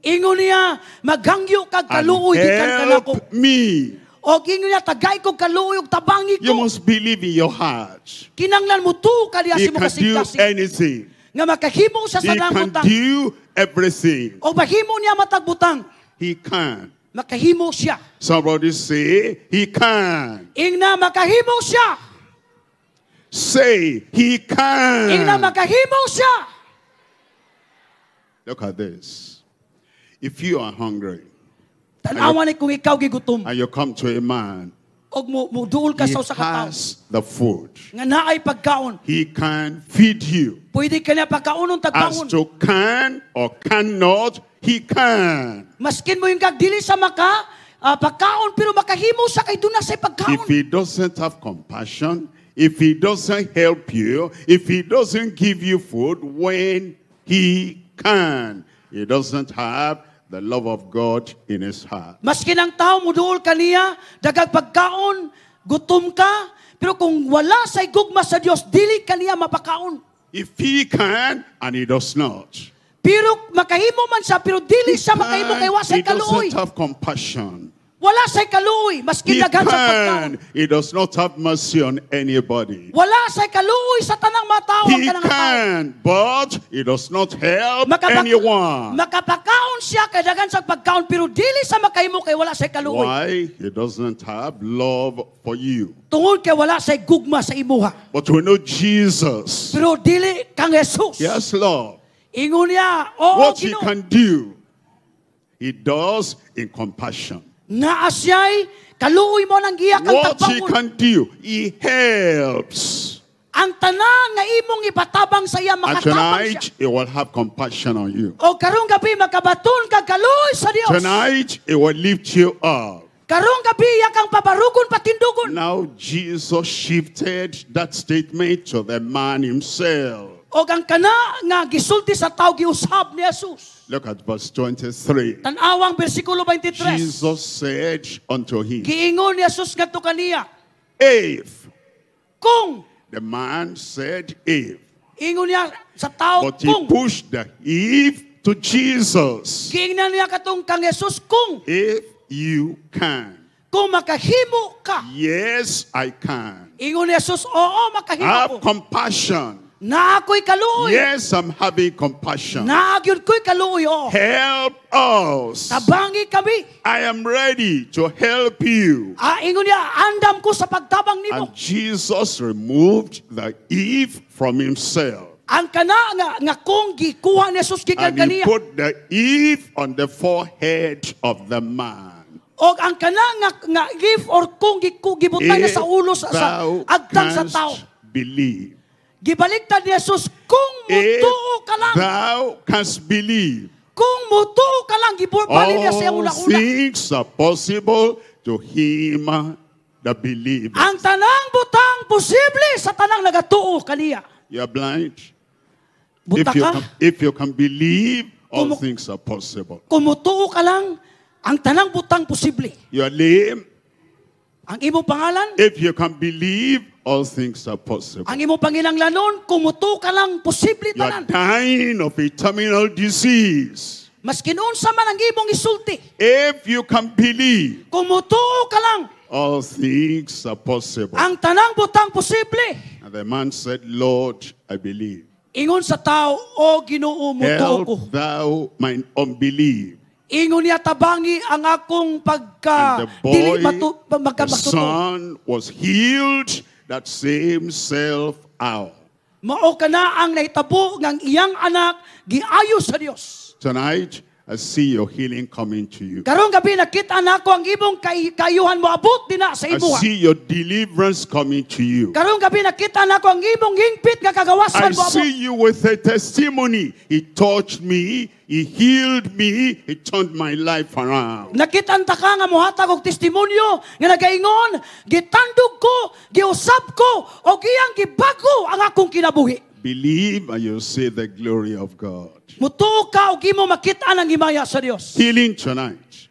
Ingon niya, maghangyo kag And kaluoy gikan kanako. help me. O ingon niya, tagay kog kaluoy ug tabangi You ko. must believe in your heart. Kinanglan mo tuo ka diha He sa imong can do kasing-kasing anything. nga makahimo siya sa He tanang can butang. do everything. O mahimo niya matag butang. He can. Makahimo siya. Somebody say, he can. Ingna makahimo siya. Say, he Ingna can. makahimo siya. Look at this. If you are hungry Tanawan ni kung ikaw gigutom and you come to a man, og mo muduol ka he sa usa ka tawo has the food. nga naay pagkaon. He can feed you. Pwede ka niya pagkaonon As tagbaon. to can or cannot, he can. Maskin mo yung kag dili sa maka ah, pagkaon pero makahimo sa kay duna say If pagkaon. he doesn't have compassion, if he doesn't help you, if he doesn't give you food when he can, he doesn't have the love of God in his heart. Maskin ang tao muduol kaniya, dagag pagkaon, gutom ka, pero kung wala say gugma sa Dios, dili kaniya mapakaon. If he can and he does not, Pero makahimo man siya, pero dili siya makahimo kay wa he say kaluoy. doesn't have compassion. Wala say kaluoy, maskin He daghan sa pagkaon. can. He does not have mercy on anybody. Wala say kaluoy sa tanang mga tao ang He kanang tao. can, but he does not help Makapak- anyone. Makapakaon siya kay daghan sa pagkaon pero dili sa makahimo kay wala say kaluoy. Why? He doesn't have love for you. Tungod kay wala say gugma sa imuha. But we know Jesus. Pero dili kang Jesus. He has love. Ingon niya, oo, What he Ginoo. can do, he does in compassion. Naa siya'y kaluoy mo ng iya kang What he tagbaon. can do, he helps. Ang tanan nga imong ipatabang sa iya And makatabang tonight, siya. he will have compassion on you. O karong gabi makabaton kag kaluoy sa Dios. Tonight, he will lift you up. Karong gabi iya kang pabarugon patindugon. Now, Jesus shifted that statement to the man himself. O ang kana nga gisulti sa tao giusab ni Jesus. Look at verse twenty-three. Tan-awang bersikulo twenty-three. Jesus said unto him, Giingon ni Jesus ngadto kaniya, If, kung the man said if, ingon niya sa tao but he kung pushed the if to Jesus. giingnan niya katong kang Jesus kung If you can. kung makahimo ka. Yes, I can. Ingon ni Jesus, oo makahimo Have ko. compassion. Naa ko'y kaluoy. Yes, I'm having compassion. Naa gyud ko'y kaluoy, oo. Help us. Tabangi kami. I am ready to help you. Ah, ingon niya, andam ko sa pagtabang nimo. And Jesus removed the if from himself. Ang kana nga, nga kung gikuha ni Jesus gikan And he kaniya. put the if on the forehead of the man. Og ang kana nga, nga if or kung giku, gibutang niya If sa ulo sa, sa thou agtang sa canst tao. believe. Gibaliktad ni Jesus, kung If mutuo ka lang, thou canst believe, kung mutuo ka lang, gibali niya sa iyang all una-una. things are possible to him that believeth. Ang tanang butang posible sa tanang nagatuo kaniya. You are blind. Buta If you, ka, can, if you can believe, all Kumu- things are possible. kung mutuo ka lang, ang tanang butang posible. You are lame. Ang imong pangalan, If you can believe, all things are possible. ang imong panginanglanon, kung mutuo ka lang, posible You are tanan. dying of a terminal disease. Maskin unsa man ang imong isulti, If you can believe, kung mutuo ka lang, all things are possible. ang tanang butang posible. And the man said, Lord, I believe. Ingon sa tao, o Ginoo, mutuo ko. Help thou mine unbelief. Ingon niya tabangi ang akong pagka And the dili boy, matu, the magka- son, was healed that same self hour. Mao kana ang nahitabo ng iyang anak giayo sa Dios. Tonight, I see your healing coming to you. Karong gabi nakita nako ang imong kay, kaayuhan mo abot dinha sa I imuha. see your deliverance coming to you. Karong gabi nakita nako ang imong hingpit nga I kagawasan mo abot. see you with a testimony. He touched me, he healed me, he turned my life around. Nakita ta ka nga mohatag og testimonyo nga nagaingon, gitandog ko, giusab ko, og iyang gibago ang akong kinabuhi. Believe and you'll see the glory of God. Mutuo ka og imo makita ang himaya sa Dios. Healing tonight.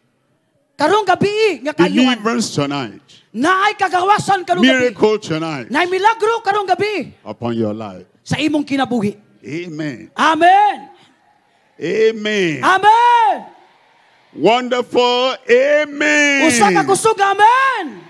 Karong gabi nga kaayuhan. Deliverance tonight. Naay kagawasan karong gabi. Miracle tonight Naay milagro karong gabi upon your life. sa imong kinabuhi. Amen. Amen. Amen. Amen. Wonderful. Amen. Usa ka kusog amen.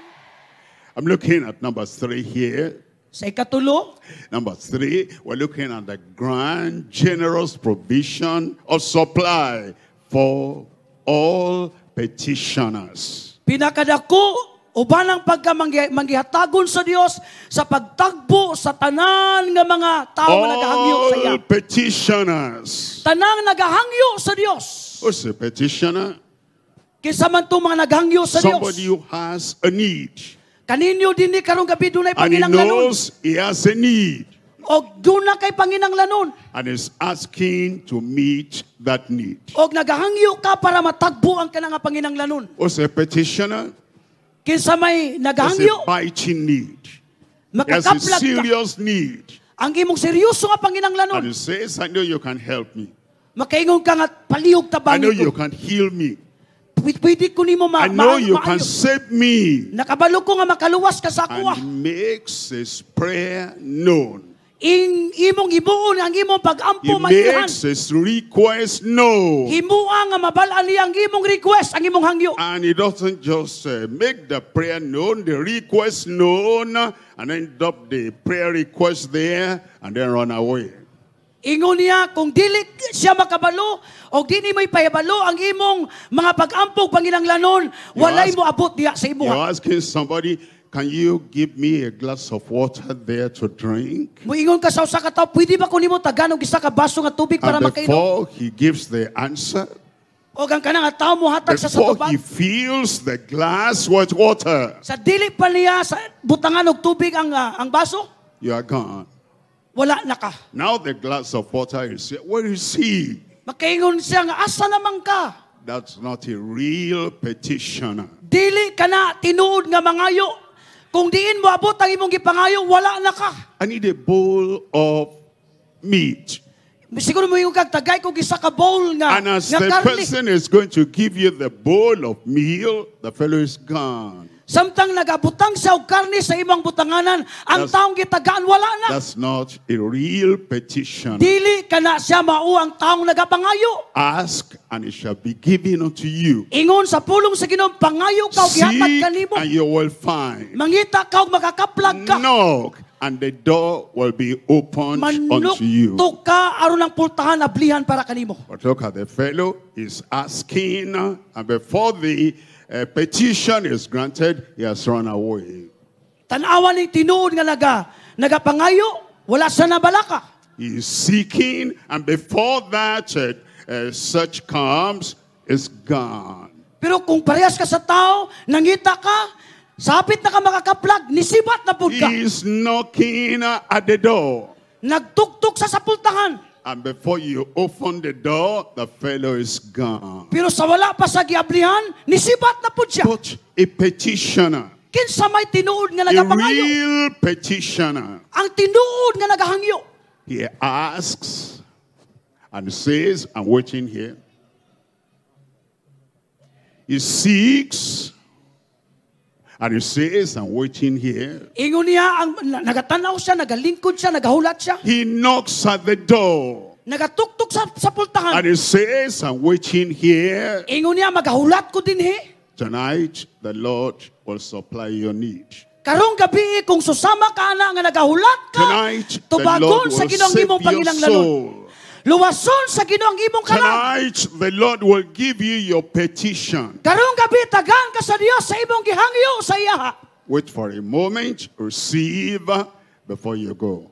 I'm looking at number three here. Sa ikatulo, Number three, we're looking at the grand generous provision of supply for all petitioners. pinakadako uban ang pagka manggi- manggihatagon sa Dios sa pagtagbo sa tanan nga mga tao nga nagahangyo sa iya. All petitioners. Tanang nagahangyo sa Dios. Who's a petitioner? Kinsa man tong mga naghangyo sa Dios. Somebody who has a need. Kaninyo dinhi karong gabi dunay And he panginanglanon. knows he has a need. Og duna kay panginanglanon. And is asking to meet that need. Og nagahangyo ka para matagbo ang kanang nga panginanglanon. Who's a petitioner? Kinsa may Has a nagahangyo, biting need. He has a makakaplag ka. serious need. Ang imong seryoso nga And panginanglanon. he says, I know you can help me. Makaingon ka nga palihog I tabangi know you ko. can heal me. Pwede pwede ko nimo ma I know ma- you can maayo. save me. Nakabalo ko nga makaluwas ka sa akoa. And he makes his prayer known. ing imong himuon ang imong He pagampo mailhan. makes his request known. Himua nga mabal-an niya ang imong request, ang imong hangyo. And he doesn't just uh, make the prayer known, the request known, and end up the prayer request there, and then run away. Ingon niya kung dili siya makabalo o dili mo ipahibalo ang imong mga pag-ampog panginanglanon, walay ask- mo abot diha sa You're imuha. asking somebody, can you give me a glass of water there to drink? Moingon ka sa usa ka tawo, pwede ba ko nimo tagan og isa ka baso nga tubig para And makainom? before he gives the answer, O ang kanang nga tawo mohatag sa sa before tubag. he fills the glass with water, Sa dili pa niya sa butangan og tubig ang ah, ang baso, you are gone. wala na ka. Now the glass of water is here. Where is he? Makaingon siya nga asa naman ka? That's not a real petitioner. Dili ka na tinuod nga mangayo. Kung diin mo abot ang imong gipangayo, wala na ka. I need a bowl of meat. Siguro mo yung kag tagay kog isa ka bowl nga And as nga the karne. person is going to give you the bowl of meal, the fellow is gone. Samtang nagabutang siya og karne sa imong butanganan, ang That's- taong gitagaan wala na. That's not a real petition. Dili ka na siya mao ang taong nagapangayo. Ask and it shall be given unto you. Ingon sa pulong sa Ginoo, pangayo ka og gihatag Seek kanimo. and you will find. Mangita ka og makakaplag ka. Knock and the door will be opened unto you. Manukto ka aron ang pultahan ablihan para kanimo. But look at the fellow is asking, and before the uh, petition is granted, he has run away. Tan-awa ning tinuod nga naga nagapangayo, wala sa nabalaka. He is seeking, and before that uh, uh, search comes, is gone. Pero kung parehas ka sa tao, nangita ka, sapit na ka makakaplag, nisibat na pud ka. He is knocking at the door. Nagtuktok sa sapultahan. And before you open the door, the fellow is gone. Pero sa wala pa sa giablihan, nisibat na pud siya. But a petitioner, Kinsa may tinuod nga a nagapangayo? real petitioner, Ang tinuod nga nagahangyo. he asks and says, I'm waiting here. He seeks and he says, I'm waiting here. Ingon niya, ang, nagatanaw siya, nagalingkod siya, nagahulat siya. He knocks at the door Nagatuktok sa sapultahan. and he says, I'm waiting here. Ingon niya, magahulat ko dinhi. Tonight, the Lord will supply your need. Karong gabi kung susama ka ana nga nagahulat ka, Tonight, the tubagon Lord sa will Ginoo ang save imong your panginahanglanon. soul. Luwason sa Ginoo ang imong kalag. Tonight, the Lord will give you your petition. Karong gabi tagaan ka sa Dios sa imong gihangyo sa iyaha. Wait for a moment, receive before you go.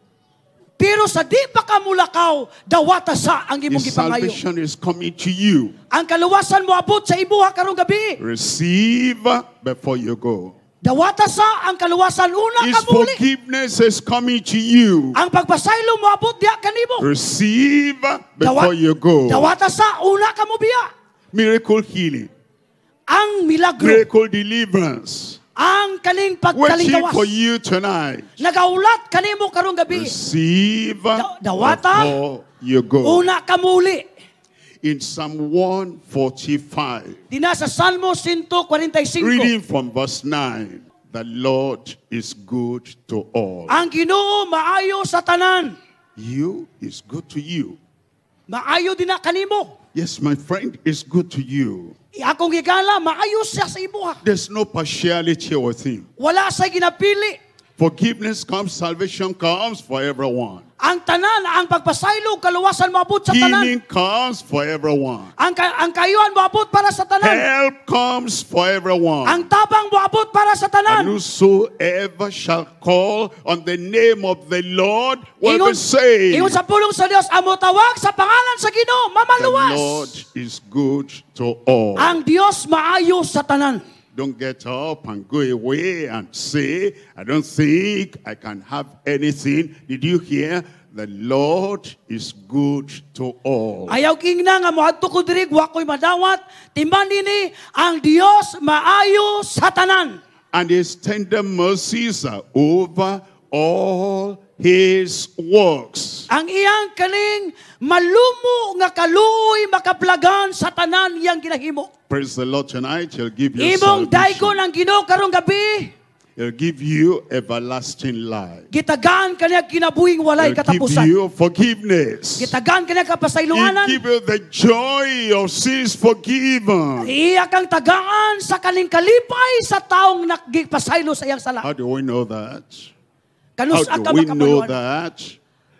Pero sa di pa ka mulakaw, dawata sa ang imong His gipangayo. salvation is coming to you. Ang kaluwasan mo abot sa imuha karong gabi. Receive before you go. Dawata sa ang kaluwasan una His ka muli. forgiveness is coming to you. Ang pagpasaylo mo abot diha kanimo. Receive before you go. Dawata sa una ka mo biya. Miracle healing, Ang milagro, miracle deliverance. ang kaning Waiting pagkalingkawas. for you tonight. Nagaulat kanimo karong gabi. Receive Da- dawata. before you go. Una ka muli. In Psalm one forty-five, Dina sa Salmo one forty-five. reading from verse nine, the Lord is good to all. Ang Ginoo maayo sa tanan. You is good to you. Maayo din na kanimo. Yes, my friend, is good to you. Akong gigala, maayo siya sa imuha. There's no partiality with him. Wala sa ginapili. Forgiveness comes, salvation comes for everyone. Ang tanan, ang pagpasaylo, kaluwasan moabot sa tanan. Healing comes for everyone. Ang, ka- ang kayuan moabot para sa tanan. Help comes for everyone. Ang tabang moabot para sa And tanan. whosoever shall call on the name of the Lord will Ingon, be saved. ingon sa pulong sa Dios, amo tawag sa pangalan sa Ginoo, The mamaluwas. Lord is good to all. Ang Dios maayo sa tanan. Don't get up and go away and say, I don't think I can have anything. Did you hear? The Lord is good to all. Ayaw kingna nga moadto ko diri wa ko'y madawat. Timan nini ang Dios maayo sa tanan. And his tender mercies are over all his works. Ang iyang kaning malumo nga kaluoy makaplagan sa tanan iyang ginahimo. Praise the Lord tonight. He'll give you Imong salvation. daygon ang Ginoo karong gabi. He'll give you everlasting life. Gitagaan kaniya kinabuhing walay He'll give katapusan. you forgiveness. Gitagaan kaniya He'll kapasayloanan. give you the joy of sins forgiven. Iya kang tagaan sa kaning kalipay sa taong nagpasaylo sa iyang sala. How do we know that? How Kanus do ka we know makabaluan? that?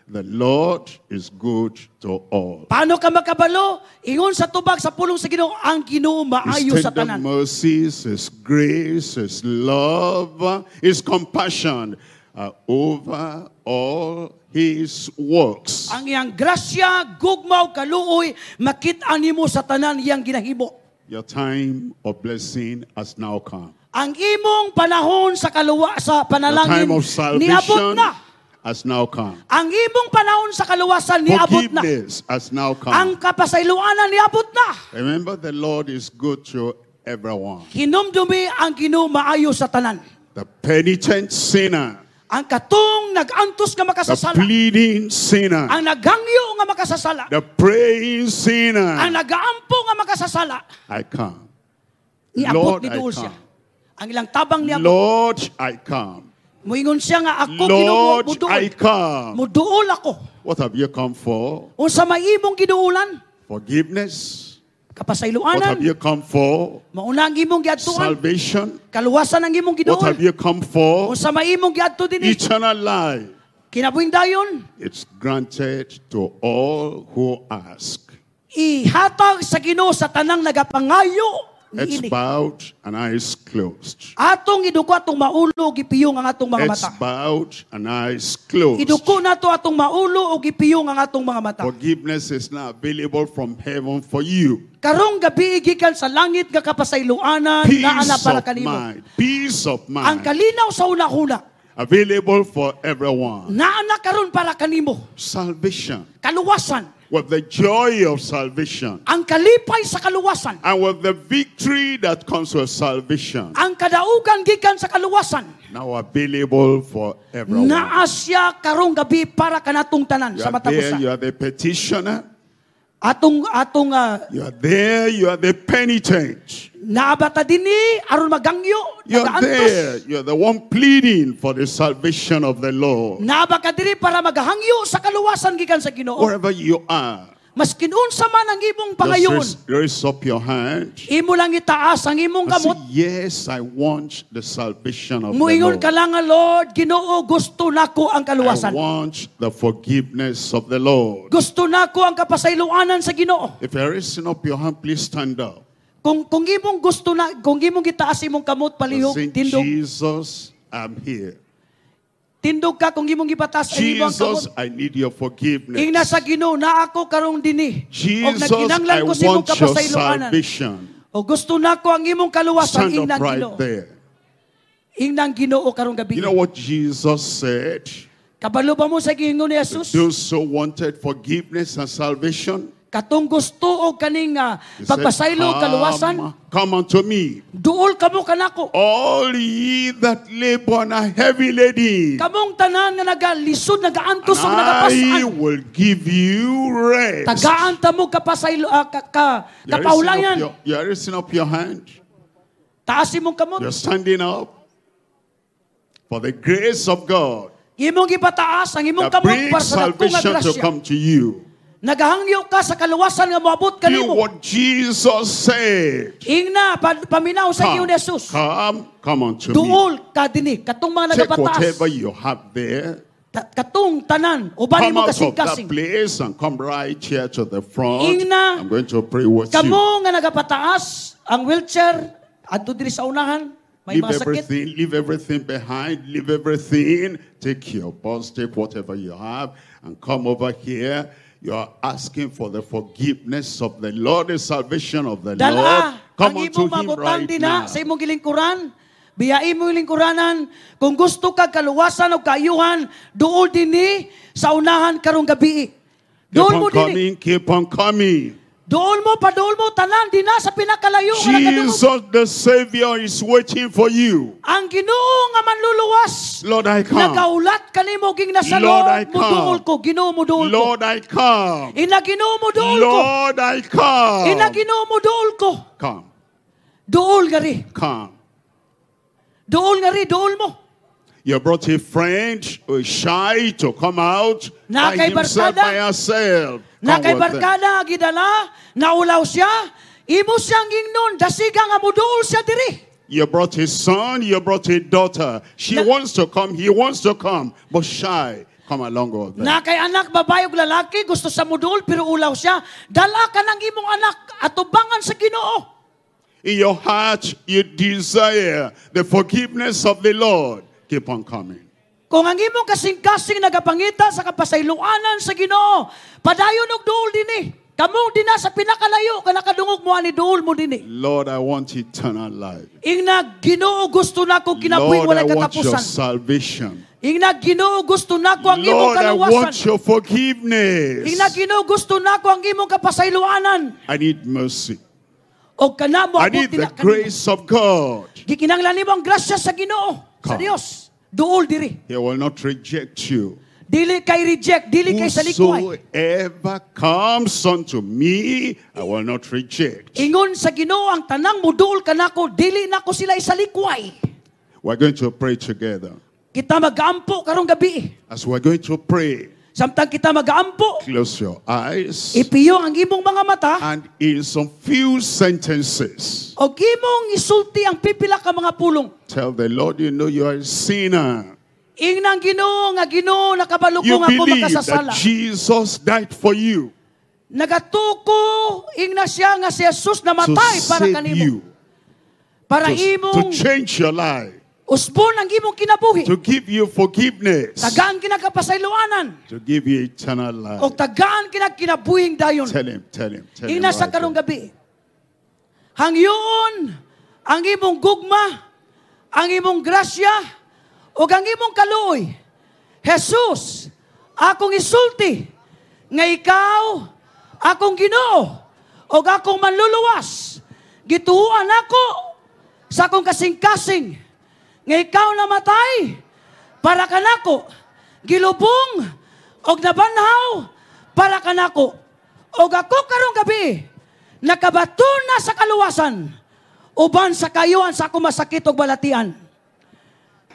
The Lord is good to all. Paano ka makabalo? Ingon sa tubag sa pulong sa Ginoo, ang Ginoo maayo His sa tender tanan. mercies, His grace, His love, His compassion are over all His works. Ang iyang grasya, gugma ug kaluoy makit-an nimo sa tanan iyang ginahimo. Your time of blessing has now come. Ang imong panahon sa kaluwa sa The panalangin time of niabot salvation na. has now come. Ang imong panahon sa kaluwasan niabot na. Forgiveness has now come. Ang kapasayloanan niabot na. Remember, the Lord is good to everyone. Hinumdumi ang Ginoo maayo sa tanan. The penitent sinner, Ang katong nag-antos nga the makasasala, pleading sinner, ang naghangyo nga makasasala, the praying sinner. ang nagaampo nga makasasala, I come. niabot Lord, ni I duol siya. come. Ang ilang tabang niabot. Lord, I come. Muingon siya nga ako Ginoo Lord, muduol. I come. Muduol ako. What have you come for? Unsa may imong giduolan? Forgiveness. What Kapasayloanan. have you come for? Mauna ang imong giadtuan. Salvation. Kaluwasan ang imong What giduol. have you come for? Unsa may imong giadto dinhi? Eternal life. Kinabuhing dayon. It's granted to all who ask. Ihatag sa Ginoo sa tanang nagapangayo Heads niini. bowed and eyes closed. Atong iduko atong maulo ug gipiyong ang atong mga Heads mata. bowed and eyes closed. Iduko nato atong maulo ug gipiyong ang atong mga mata. Forgiveness is now available from heaven for you. Karong gabi gikan sa langit nga kapasayloanan Peace naa na para of kanimo. mind. Peace of Ang mind. kalinaw sa una-una. Available for everyone. Naa na karon para kanimo. Salvation. Kaluwasan. With the joy of salvation. Ang kalipay sa kaluwasan. And with the victory that comes with salvation. Ang kadaugan gikan sa kaluwasan. Now available for everyone. Naa siya karong gabi para kanatong tanan You sa are matag there, usa. you are the petitioner. Atong atong uh, You are there, you are the penitent. Naa ba ta dinhi aron magangyo, You're nagaantos. there, you're the one pleading for the salvation of the Lord. Naa ba ka diri para magahangyo sa kaluwasan gikan sa Ginoo. Wherever you are, Maskin unsa man ang imong just pangayon, raise, raise up your hand. imo lang itaas ang imong And say, kamot. yes, I want the salvation of the Muingon Lord. ka lang nga, Lord, Ginoo, gusto nako ang I kaluwasan. want the forgiveness of the Lord. Gusto nako ang kapasayloanan sa Ginoo. If you're raising up your hand, please stand up. Kung kung imong gusto na, kung imong gitaas imong kamot palihog, Say, tindog, Jesus, I'm here. tindog ka kung imong gipataas ang imong Jesus, kamot. I need your forgiveness. Ingna sa Ginoo, naa ako karong dinhi. Og Jesus, nagkinahanglan I ko sa imong want your kapasayloanan. salvation. O gusto nako ang imong kaluwasan, Stand up ingnang right Ginoo. there. Ingnang Ginoo karong gabi. You know what Jesus said? Kabalo ba mo sa giingon ni Jesus? Those who wanted forgiveness and salvation, Katong gusto og kaning ah, he said, pagpasaylo og kaluwasan, come, come unto me, duol kamo kanako. all ye that labor and are heavy laden, Kamong tanan nga nagalisod, nagaantos and og I nagapas-an. will give you rest. Tagaan ta mo kapasaylo ah, ka, ka, You're raising up kapaulayan. your, you're raising up your hand. Taas imong kamot. You're standing up for the grace of God Imong gipataas ang imong that kamot brings para sa dakong nga salvation to grasya. come to you. Nagahangyo ka sa kaluwasan nga moabot Do kanimo. what Jesus said. Ingna pa, paminaw sa Come, ingon ni Jesus. come, come unto me. Duol ka dinhi katong mga Take nagapataas. whatever you have there. Ta- katong tanan uban Come mo out of that kasing-kasing. place and come right here to the front. Ingna, I'm going to pray with you. Kamo nga nagapataas ang wheelchair adto diri sa unahan may Leave mga sakit. everything, leave everything behind, leave everything. Take your bus, take whatever you have, and come over here. You are asking for the forgiveness of the Lord, the salvation of the Lord. Dala Come ang unto imong him mabutang right dinha now. sa imong gilingkuran. Biyain mo yung lingkuranan. Kung gusto ka kaluwasan o kaayuhan, duol dinhi sa unahan karong gabi. Keep Duol on mo dinhi. coming, keep on coming. Duol mo, paduol mo, tanan dinha sa pinakalayo nga nagadungog. Jesus the Savior is waiting for you. Ang Ginoo nga manluluwas. Lord, I come. Nagaulat kanimo ging nasa Lord, I Lord, muduol come. ko, Ginoo muduol ko. Lord, I come. Ina Ginoo muduol ko. Lord, I come. Ina Ginoo muduol ko. Come, Duol ngari. come. Duol ngari, duol mo. You brought a friend who is shy to come out Na by kay himself, barkada. by herself. Na Come kay with them. barkada gidala, naulaw siya, imo siyang ingnon, dasiga nga muduol siya diri. You brought a son, you brought a daughter. She Na- wants to come, he wants to come, but shy. Come along with them. Na kay anak babae ug lalaki gusto sa muduol pero ulaw siya, dala ka ng imong anak atubangan sa Ginoo. In your heart, you desire the forgiveness of the Lord. Keep on coming. Kung ang imong kasing-kasing nagapangita sa kapasayloanan sa Ginoo, padayon og duol dinhi. Kamo dinha sa pinakalayo ka nakadungog mo ani duol mo dinhi. Lord, I want eternal life. Ingna Ginoo gusto nako kinabuhi Lord, walay I want your katapusan. salvation. Ingna Ginoo gusto nako ang imong Lord, I kaluwasan. want your forgiveness. Ingna Ginoo gusto nako ang imong kapasayloanan. I need mercy. Og kana mo I need the grace of God. Gikinahanglan nimo ang grasya sa Ginoo, sa Come. Dios. Duol diri. He will not reject you. Dili kay reject, dili kay salikway. Whosoever comes unto me, I will not reject. Ingon sa Ginoo ang tanang muduol kanako, dili nako sila isalikway. We're going to pray together. Kita magaampo karong gabi. As we're going to pray, Samtang kita magaampo, close your eyes ipiyo ang imong mga mata and in some few sentences, og imong isulti ang pipila ka mga pulong. tell the Lord you know you are a sinner. Ingnang Ginoo nga Ginoo nakabalo ko You nga ako believe makasasala. that Jesus died for you Nagatuko ingna siya nga si Jesus to namatay para save kanimo. you, Para to, to imong change your life, usbon ang imong kinabuhi. to give you forgiveness, Tagaan kinagkapasayloanan to give you eternal life. o tagaan kinagkinabuhing dayon. Tell him, tell him, tell him. Ingna sa right karong there. gabi. Hangyoon ang imong gugma, ang imong grasya, ug ang imong kaluoy. Jesus, akong isulti nga ikaw akong Ginoo ug akong manluluwas. Gituohan ako sa akong kasing-kasing nga ikaw namatay para kanako, gilubong og nabanhaw para kanako. Og ako karong gabi nakabaton na sa kaluwasan uban sa kayuan sa akong masakit og balatian.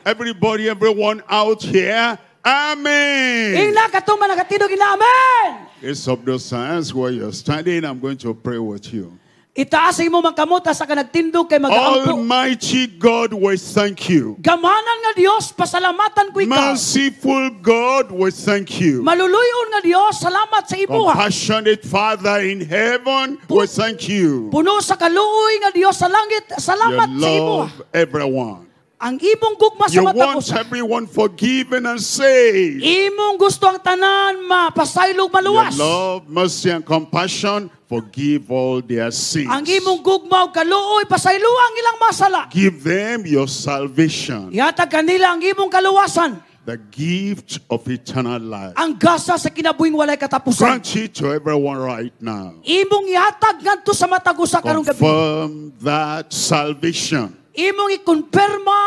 Everybody, everyone out here, Amen. Ingna katong mga nakatindog ina amen. It's up those hands where you're standing. I'm going to pray with you. Itaas ang imong mga kamot sa ka nagtindog kay magaampo. Almighty God, we thank you. Gamhanan nga Dios, pasalamatan ko ikaw. Merciful God, we thank you. Maluluyon nga Dios, salamat sa imuha. Compassionate Father in heaven, we thank you. Puno sa kaluoy nga Dios sa langit, You salamat sa imuha. love everyone. Ang imong gugma sa You matag want usa. everyone forgiven and saved. Imong gusto ang tanan mapasaylog Your maluwas. love, mercy, and compassion, forgive all their sins. Ang imong gugma ug kaluoy pasaylo ang ilang masala. Give them your salvation, Ihatag kanila ang imong kaluwasan, the gift of eternal life. ang gasa sa kinabuhing walay katapusan. Grant it to everyone right now. Imong ihatag ngadto sa matag usa karong gabi. Confirm that salvation. Imong ikumpirma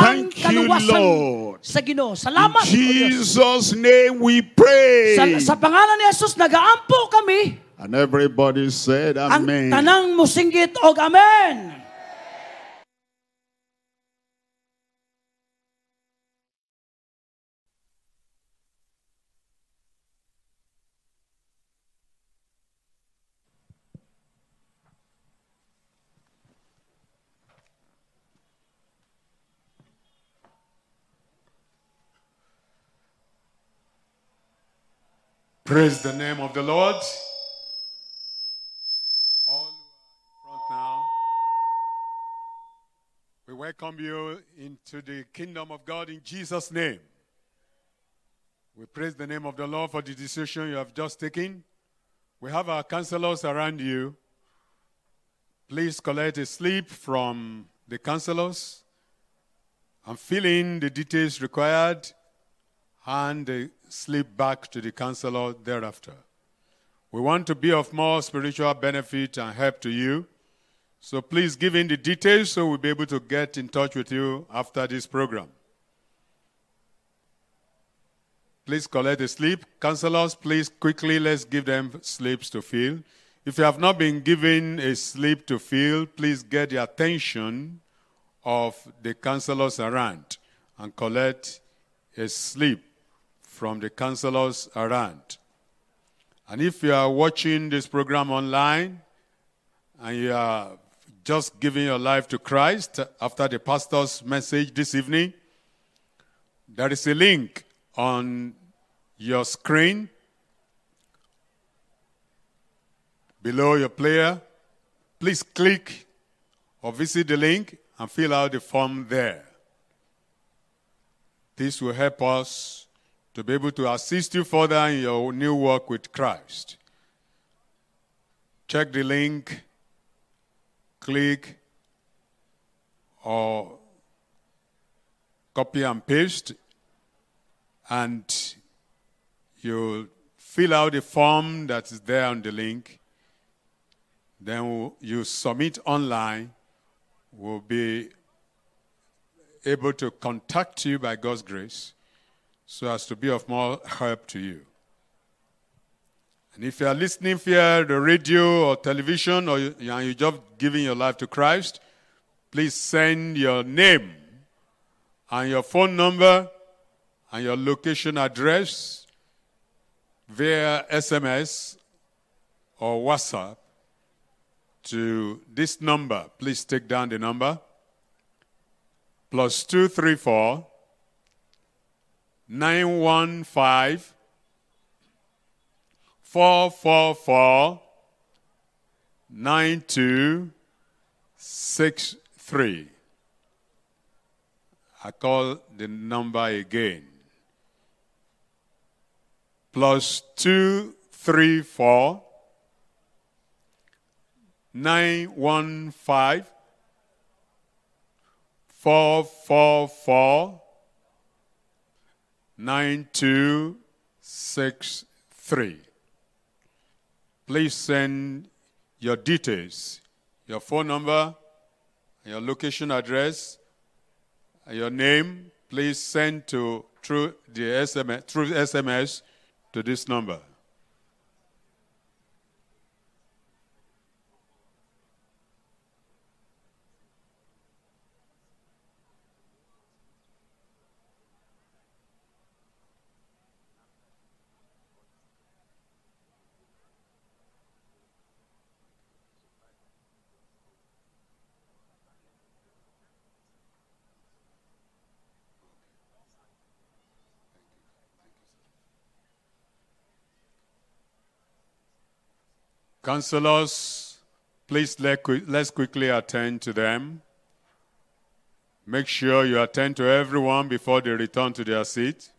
ang Thank you, kaluwasan Lord. sa Ginoo. In Salamat, O Dios. Jesus' name we pray. Sa, sa pangalan ni Jesus nagaampo kami. And everybody said, Ang Amen. tanang musinggit og amen. Praise the name of the Lord. All who are in front now, we welcome you into the kingdom of God in Jesus' name. We praise the name of the Lord for the decision you have just taken. We have our counselors around you. Please collect a slip from the counselors and fill in the details required. Hand the slip back to the counselor thereafter. We want to be of more spiritual benefit and help to you. So please give in the details so we'll be able to get in touch with you after this program. Please collect the slip. Counselors, please quickly, let's give them slips to fill. If you have not been given a slip to fill, please get the attention of the counselors around and collect a slip from the counselors around. And if you are watching this program online and you are just giving your life to Christ after the pastor's message this evening, there is a link on your screen below your player. Please click or visit the link and fill out the form there. This will help us to be able to assist you further in your new work with Christ. Check the link, click, or copy and paste, and you'll fill out the form that is there on the link. Then you submit online. We'll be able to contact you by God's grace so as to be of more help to you. And if you are listening via the radio or television, or you, and you're just giving your life to Christ, please send your name and your phone number and your location address via S M S or WhatsApp to this number. Please take down the number. Plus two three four nine one five four four four nine two six three. I call the number again. Plus two three four nine one five four four four nine two six three. Please send your details, your phone number, your location address, your name. Please send to through the S M S, through S M S to this number. Counselors, please let, let's quickly attend to them. Make sure you attend to everyone before they return to their seat.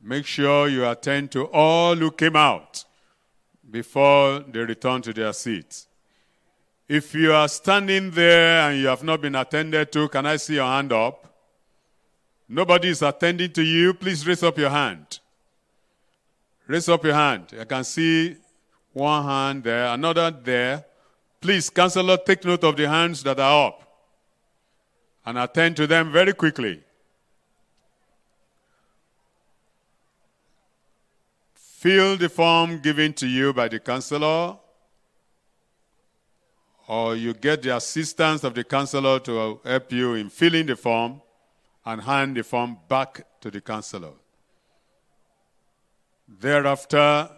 Make sure you attend to all who came out before they return to their seats. If you are standing there and you have not been attended to, can I see your hand up? Nobody is attending to you. Please raise up your hand. Raise up your hand. I can see one hand there, another there. Please, counselor, take note of the hands that are up and attend to them very quickly. Fill the form given to you by the counselor, or you get the assistance of the counselor to help you in filling the form and hand the form back to the counselor. Thereafter,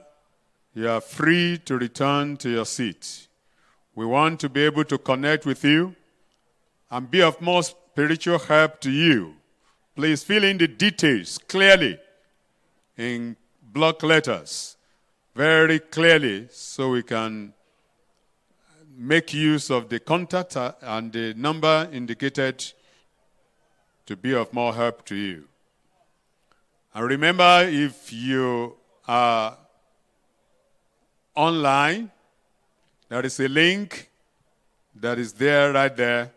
you are free to return to your seat. We want to be able to connect with you and be of more spiritual help to you. Please fill in the details clearly in block letters, very clearly, so we can make use of the contact and the number indicated to be of more help to you. And remember, if you are online, there is a link that is there, right there,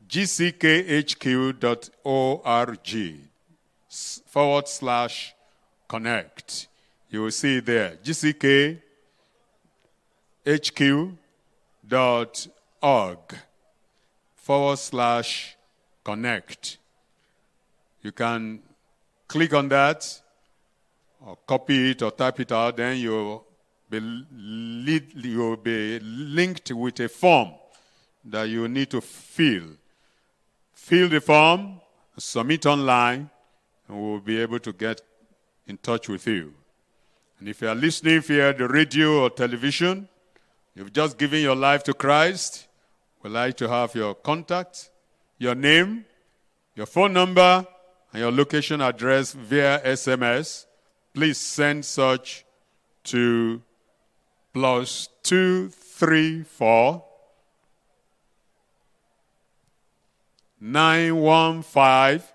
G C K H Q dot org forward slash connect. You will see it there, G C K H Q dot org forward slash connect. You can click on that or copy it or type it out. Then you'll be, lead, you'll be linked with a form that you need to fill. Fill the form, submit online, and we'll be able to get in touch with you. And if you are listening via the radio or television, you've just given your life to Christ, we'd like to have your contact, your name, your phone number, and your location address via S M S. Please send such to plus two three four nine one five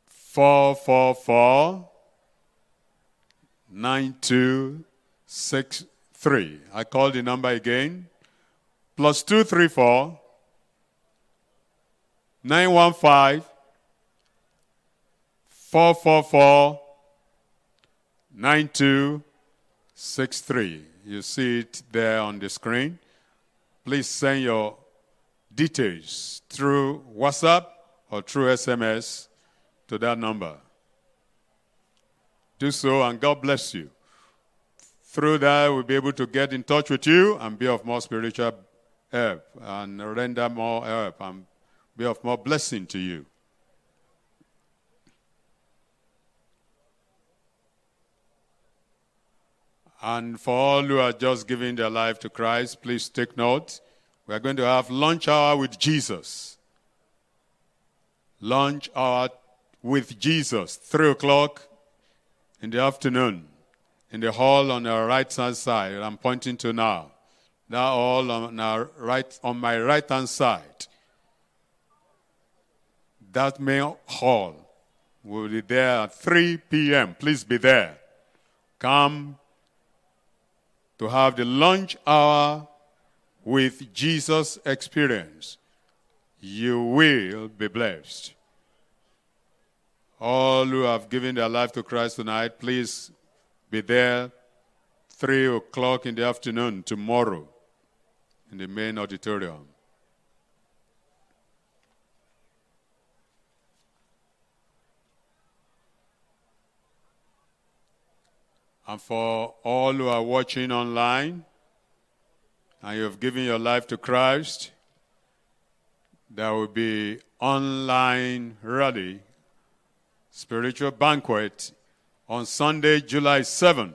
four four four nine two six three. I call the number again. Plus two three four nine one five four four four nine two six three. You see it there on the screen. Please send your details through WhatsApp or through S M S to that number. Do so, and God bless you. Through that, we'll be able to get in touch with you and be of more spiritual help and render more help and be of more blessing to you. And for all who are just giving their life to Christ, please take note. We are going to have lunch hour with Jesus. Lunch hour with Jesus, three o'clock in the afternoon, in the hall on our right-hand side. I'm pointing to now. That hall on our right, on my right-hand side. That main hall will be there at three P M Please be there. Come to have the lunch hour with Jesus experience. You will be blessed. All who have given their life to Christ tonight, please be there three o'clock in the afternoon tomorrow in the main auditorium. And for all who are watching online and you have given your life to Christ, there will be online rally, spiritual banquet on Sunday, July seventh.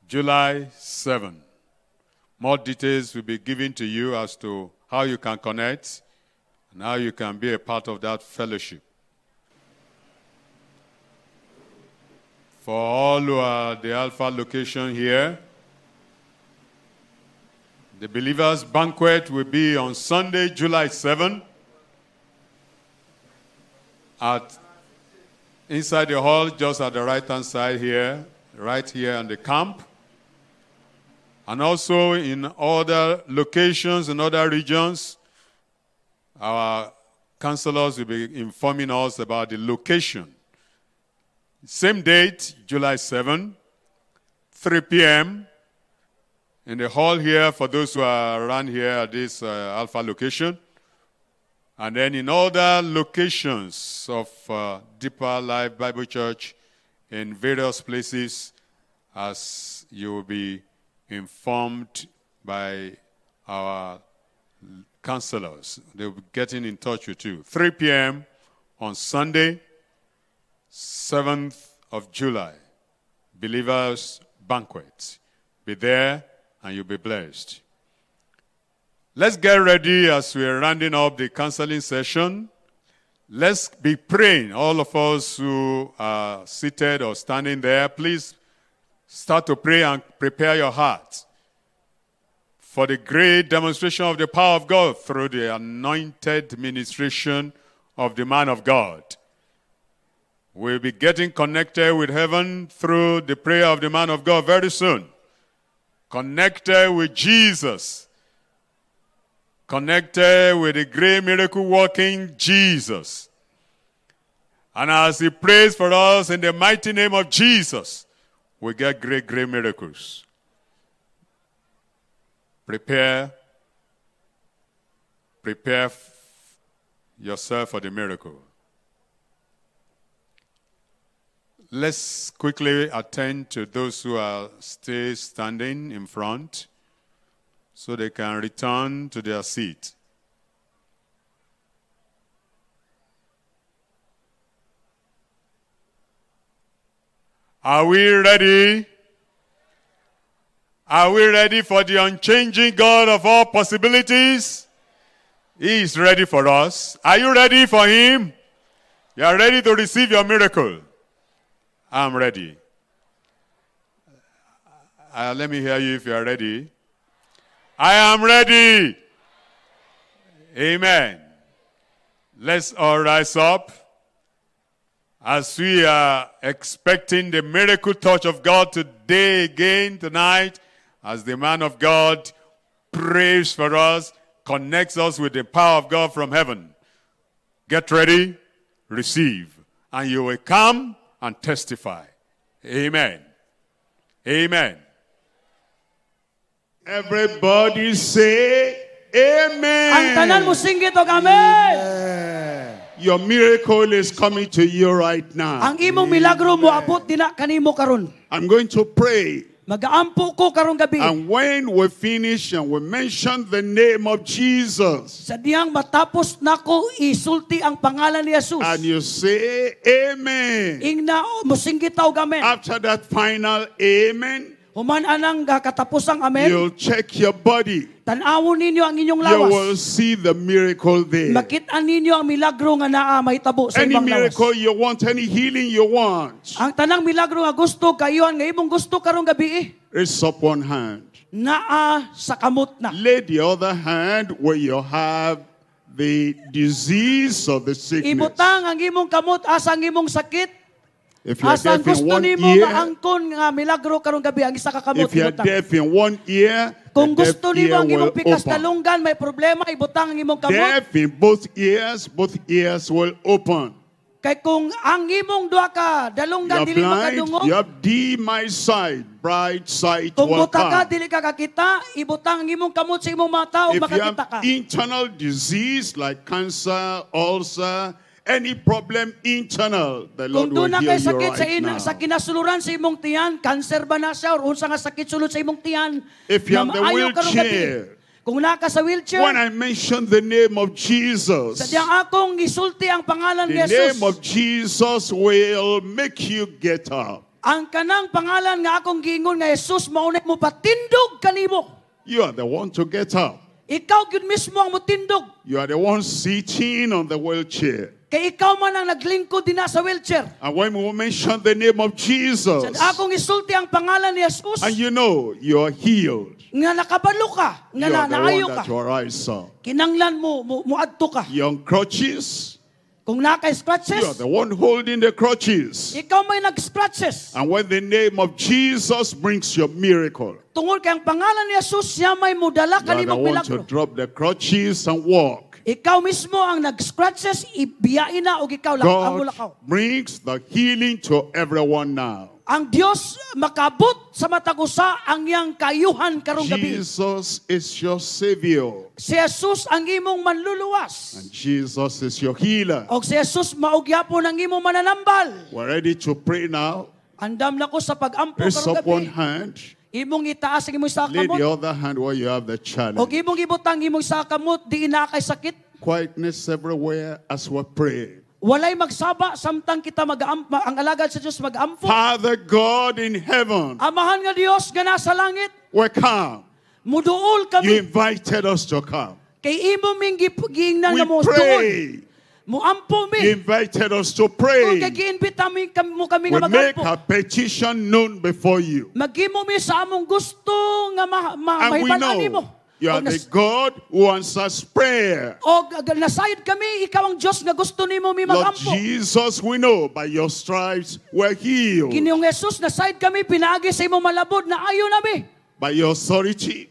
July seventh. More details will be given to you as to how you can connect and how you can be a part of that fellowship. For all who are at the Alpha location here, the Believers' Banquet will be on Sunday, July seventh at inside the hall, just at the right hand side here, right here on the camp. And also in other locations in other regions, our counselors will be informing us about the location. Same date, July seventh, three p m, in the hall here for those who are around here at this uh, Alpha location. And then in other locations of uh, Deeper Life Bible Church in various places, as you will be informed by our counselors. They'll be getting in touch with you. three p m on Sunday, seventh of July, Believers Banquet. Be there and you'll be blessed. Let's get ready as we're rounding up the counseling session. Let's be praying. All of us who are seated or standing there, please start to pray and prepare your heart for the great demonstration of the power of God through the anointed ministration of the man of God. We'll be getting connected with heaven through the prayer of the man of God very soon. Connected with Jesus. Connected with the great miracle working Jesus. And as he prays for us in the mighty name of Jesus, we get great, great miracles. Prepare, prepare yourself for the miracle. Let's quickly attend to those who are still standing in front so they can return to their seat. Are we ready? Are we ready for the unchanging God of all possibilities? He is ready for us. Are you ready for Him? You are ready to receive your miracle. I'm ready. Uh, let me hear you if you are ready. I am ready. Amen. Let's all rise up as we are expecting the miracle touch of God today again tonight, as the man of God prays for us, connects us with the power of God from heaven. Get ready, receive, and you will come and testify. Amen. Amen. Everybody say amen. Ang tanan mo singgit og amen. Your miracle is coming to you right now. Ang imong milagro moabot dina kanimo karon. I'm going to pray. Magaampo ko karong gabi. And when we finish and we mention the name of Jesus, Sa dihang matapos nako isulti ang pangalan ni Jesus. And you say amen. Ingna mosinggit ta og amen. After that final amen, Human anang katapusang amen. You'll check your body. Tan-awon ninyo ang inyong You lawas. Will see the miracle there. Makit-an ninyo ang milagro nga naa mahitabo sa Any imong lawas. Miracle you want, any healing you want, Ang tanang milagro nga gusto kayuhan nga imong gusto karong gabi eh, raise up one hand. Naa sa kamot na. Lay the other hand where you have the disease or the sickness. Ibutang ang imong kamot asa ang imong sakit. If you're Asa ang deaf in gusto one nimo ear, maangkon nga milagro karong gabi ang isa ka kamot if you're ibutang. Deaf in one ear, Kung the deaf gusto nimo ear ang imong will pikas open. dalunggan may problema, ibutang ang imong kamot. Deaf in both ears, both ears will open. Kay kung ang imong duha ka You dalunggan are dili blind, makadungog, you have dim eyesight, bright sight kung will buta ka come. dili ka kakita, ibutang ang imong kamot sa imong mata ug If you makakita have ka. internal disease like cancer, ulcer, any problem internal, the Kung Lord will doon na heal kay you sakit sa right ina, now. sa kinasuluran sa imong tiyan, cancer ba na siya or unsa nga sakit sulod sa imong tiyan? If you na have the maayo karong gabi. wheelchair, Kung naa ka sa wheelchair, When I mention the name of Jesus, sa diyang akong gisulti ang pangalan ni the Jesus. name of Jesus will make you get up. Ang kanang pangalan nga akong giingon nga Jesus mao na mo patindog kanimo. You are the one to get up. Ikaw gyud mismo ang motindog. You are the one sitting on the wheelchair. Kay ikaw man ang naglingkod dinha sa wheelchair. And when we mention the name of Jesus, Sa akong isulti ang pangalan ni Jesus and you know you are healed, nga nakabalo ka, nga you na, are the naayo one ka. that will rise up. Kinanglan mo mo muadto ka. You're on crutches, Kung naa kay you are scratches, the one holding the crutches. ikaw may nag-scratches. And when the name of Jesus brings your miracle, Tungod kay ang pangalan ni Jesus siya may mudala you are the kanimong one to milagro. drop the crutches and walk. Ikaw mismo ang nag-scratches, ibiyain na og ikaw lang ang God mulakaw. brings the healing to everyone now. Ang Dios makabot sa matag usa ang iyang kayuhan karong gabi. Jesus is your Savior, Si Jesus ang imong manluluwas. and Jesus is your healer. Og si Jesus mao gyapon ang imong mananambal. We're ready to pray now. Andam na ko sa pag-ampo Raise karong up one gabi. hand, Imong itaas ang imong isa lay the kamot. other hand where you have the challenge. Og imong ibutang imong isa kamot di na kay sakit. Quietness everywhere as we pray. Walay magsaba samtang kita mag ang alagad sa Dios mag-ampo. Father God in heaven, Amahan nga Dios nga nasa langit, we come. muduol You kami invited us to come. kay imo ming gip- giingnan We nga mo duol. pray. Muampo You mi. invited us to Kung pray. kay giimbita mi kam- mo kami We nga make magampo. our petition known before you. Maghimo mi sa among gusto nga ma, ma, And we mahibal-an nimo. know you are Og the nas- God who answers prayer. Og nasayod kami, ikaw ang Dios nga gusto nimo mi Lord magampo. Jesus, we know by your stripes we're healed. Ginoong Jesus, nasayod kami pinaagi sa imong malabod na ayo nami. By your authority,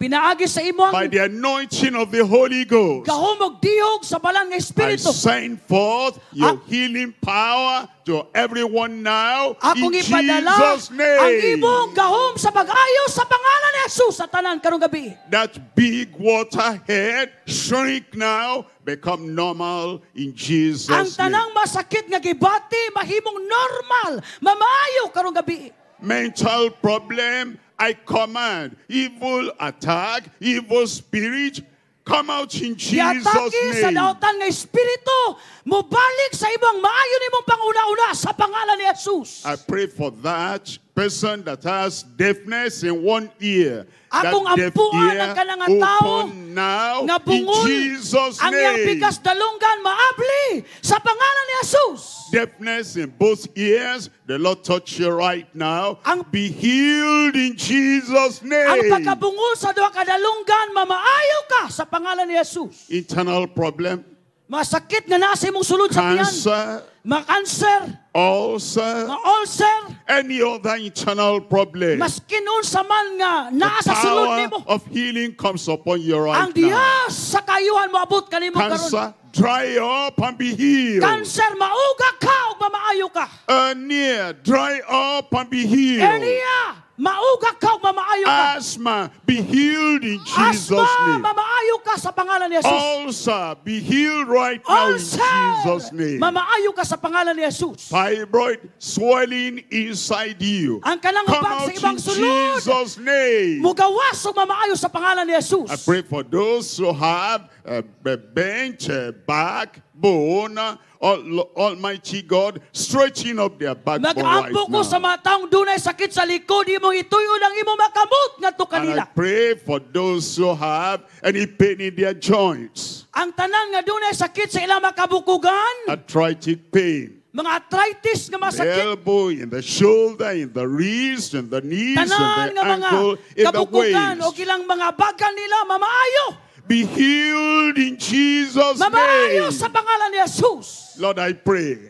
Pinaagi sa imong by the anointing of the Holy Ghost, gahom og dihog sa balaan nga I espiritu. send forth your Ah. healing power to everyone now Akong in ipadala Jesus' ang name. imong gahom sa pag-ayo sa pangalan ni Jesus sa tanan karong gabi. That big water head shrink now, become normal in Ang Jesus' name. tanang masakit nga gibati mahimong normal, mamaayo karong gabi. Mental problem, I command evil attack, evil spirit, come out in Jesus' Giatake sa name. daotan nga espiritu, mobalik sa imong maayo nimong panguna-una sa pangalan ni Jesus. I pray for that person that has deafness in one ear. That Akong deaf ampuan ear ang kanang nga tao open now nga in bungol Jesus' ang iyang name. pikas dalunggan maabli sa pangalan ni Jesus. Deafness in both ears, the Lord touch you right now. Ang- Be healed in Jesus' Ang name. pagkabungol sa duha ka dalunggan mamaayo ka sa pangalan ni Jesus. Internal problem, Masakit nga naa sa imong sulod sa tiyan. cancer, Makanser, ulcer, ma-ulcer, any other internal problem. maskin unsa man nga naa The sa sulod power nimo. of healing comes upon you right Ang now. Dios sa kayuhan moabot kanimo karon. Cancer, dry up and be healed. Cancer mauga ka ug mamaayo ka. Hernia, dry up and be healed. Hernia, mauga ka ug mamaayo ka. Asthma, be healed in Jesus' Asthma, name. mamaayo ka sa pangalan ni Jesus. Ulcer, be healed right now in Ulcer, Jesus' name. mamaayo ka sa pangalan ni Jesus. Fibroid swelling inside you. Ang kanang Come hubag sa out ibang in sulod. Jesus' name. Mugawas ug mamaayo sa pangalan ni Jesus. I pray for those who have a, a bent uh, backbone, Al- Almighty God, stretching up their backbone right Mag-ampo ko sa now. mga taong dunay sakit sa likod, imong ituyo ang imong makamot ngadto And I kanila. pray for those who have any pain in their joints, Ang tanan nga dunay sakit sa ilang makabukugan, arthritic pain, mga arthritis nga the masakit, elbow, in the shoulder, in the wrist, in the knees, in tanan the nga mga ankle, in the kabukugan o waist. ilang mga bagan nila mamaayo. Be healed in Jesus' Mamaayo name. sa pangalan ni Jesus. Lord, I pray.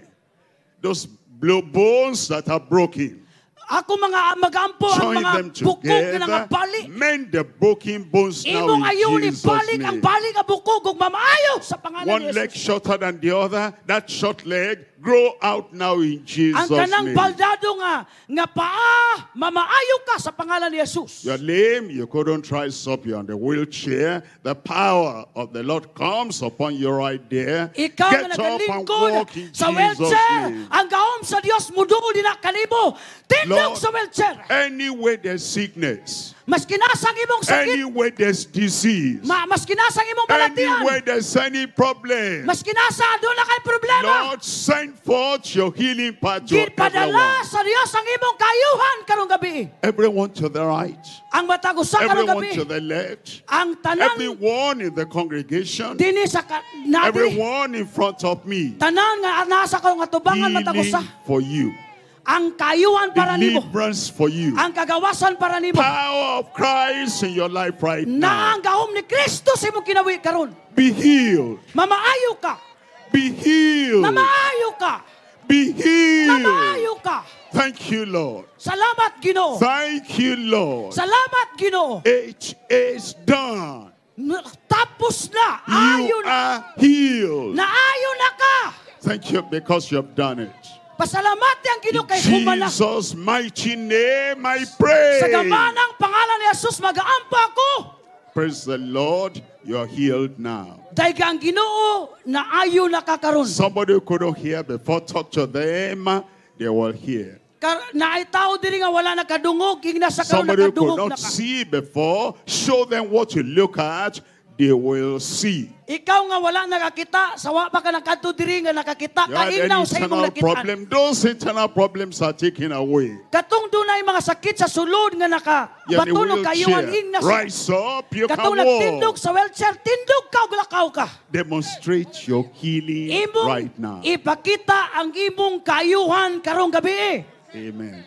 Those blue bones that are broken, Ako mga magampo ang join mga them bukog nga together. bali. Mend the broken bones now Imong in ayon Jesus' ibalik ang name. bali nga bukog ug mamaayo sa pangalan One ni leg Jesus. shorter than the other, that short leg grow out now in Ang Jesus' kanang name. baldado nga nga paa, mamaayo ka sa pangalan ni Jesus. You're lame, you couldn't rise up, you're on the wheelchair. The power of the Lord comes upon you right there. Ikaw nga Get up and nagalingkod walk in sa Jesus' wheelchair, name. ang gahom sa Dios muduol din na kanimo. Tindog Lord, sa wheelchair. Anywhere there's sickness, Maski asa ang imong sakit, anywhere there's disease, ma maski asa ang imong balatian, anywhere there's any problem, maski asa duna kay problema. Lord, send forth your healing power to Gipadala everyone. sa Dios ang imong kaayuhan karong gabi. Everyone to the right, Ang matag usa karong everyone gabi. to the left, Ang tanan everyone in the congregation, dinhi sa ka, na diri, everyone in front of me. tanan nga nasa akong atubangan matag Healing usa. for you, Ang kaayuhan para nimo. deliverance for you, Ang kagawasan para nimo. power of Christ in your life right Na now. ang gahom ni Kristo sa imong kinabuhi karon. Be healed, Mamaayo ka. be healed, Mamaayo ka. be healed. Mamaayo ka. Thank you, Lord. Salamat Ginoo. Thank you, Lord. Salamat Ginoo. It is done. N- Tapos na. Ayo You na. are healed. Naayo na ka. Thank you because you have done it. Pasalamati ang Ginoo In kay human na. Jesus' mighty name, I pray. Sa gamanang pangalan ni Jesus magaampo ako. Praise the Lord. You are healed now. Dayga ang Ginoo naayo na ka karon. Somebody who couldn't hear before, talk to them. They will hear. Kar naay tao diri nga wala nakadungog, ingna sa karon Somebody who could nakadungog na not ka. see before, show them what you look at. They will see. Ikaw nga wala nakakita, sa wa pa ka nakadto diri nga nakakita You ka had any ingnaw sa imong internal nakitaan. problem, those internal problems are taken away. Katong dunay mga sakit sa sulod nga naka You're in a batunog kayuhan wheelchair. ingna sa Rise up, you can Katong nagtindog walk. sa wheelchair, tindog ka ug lakaw ka. Demonstrate your healing Imong right now. ipakita ang imong kaayuhan karong gabi. Amen.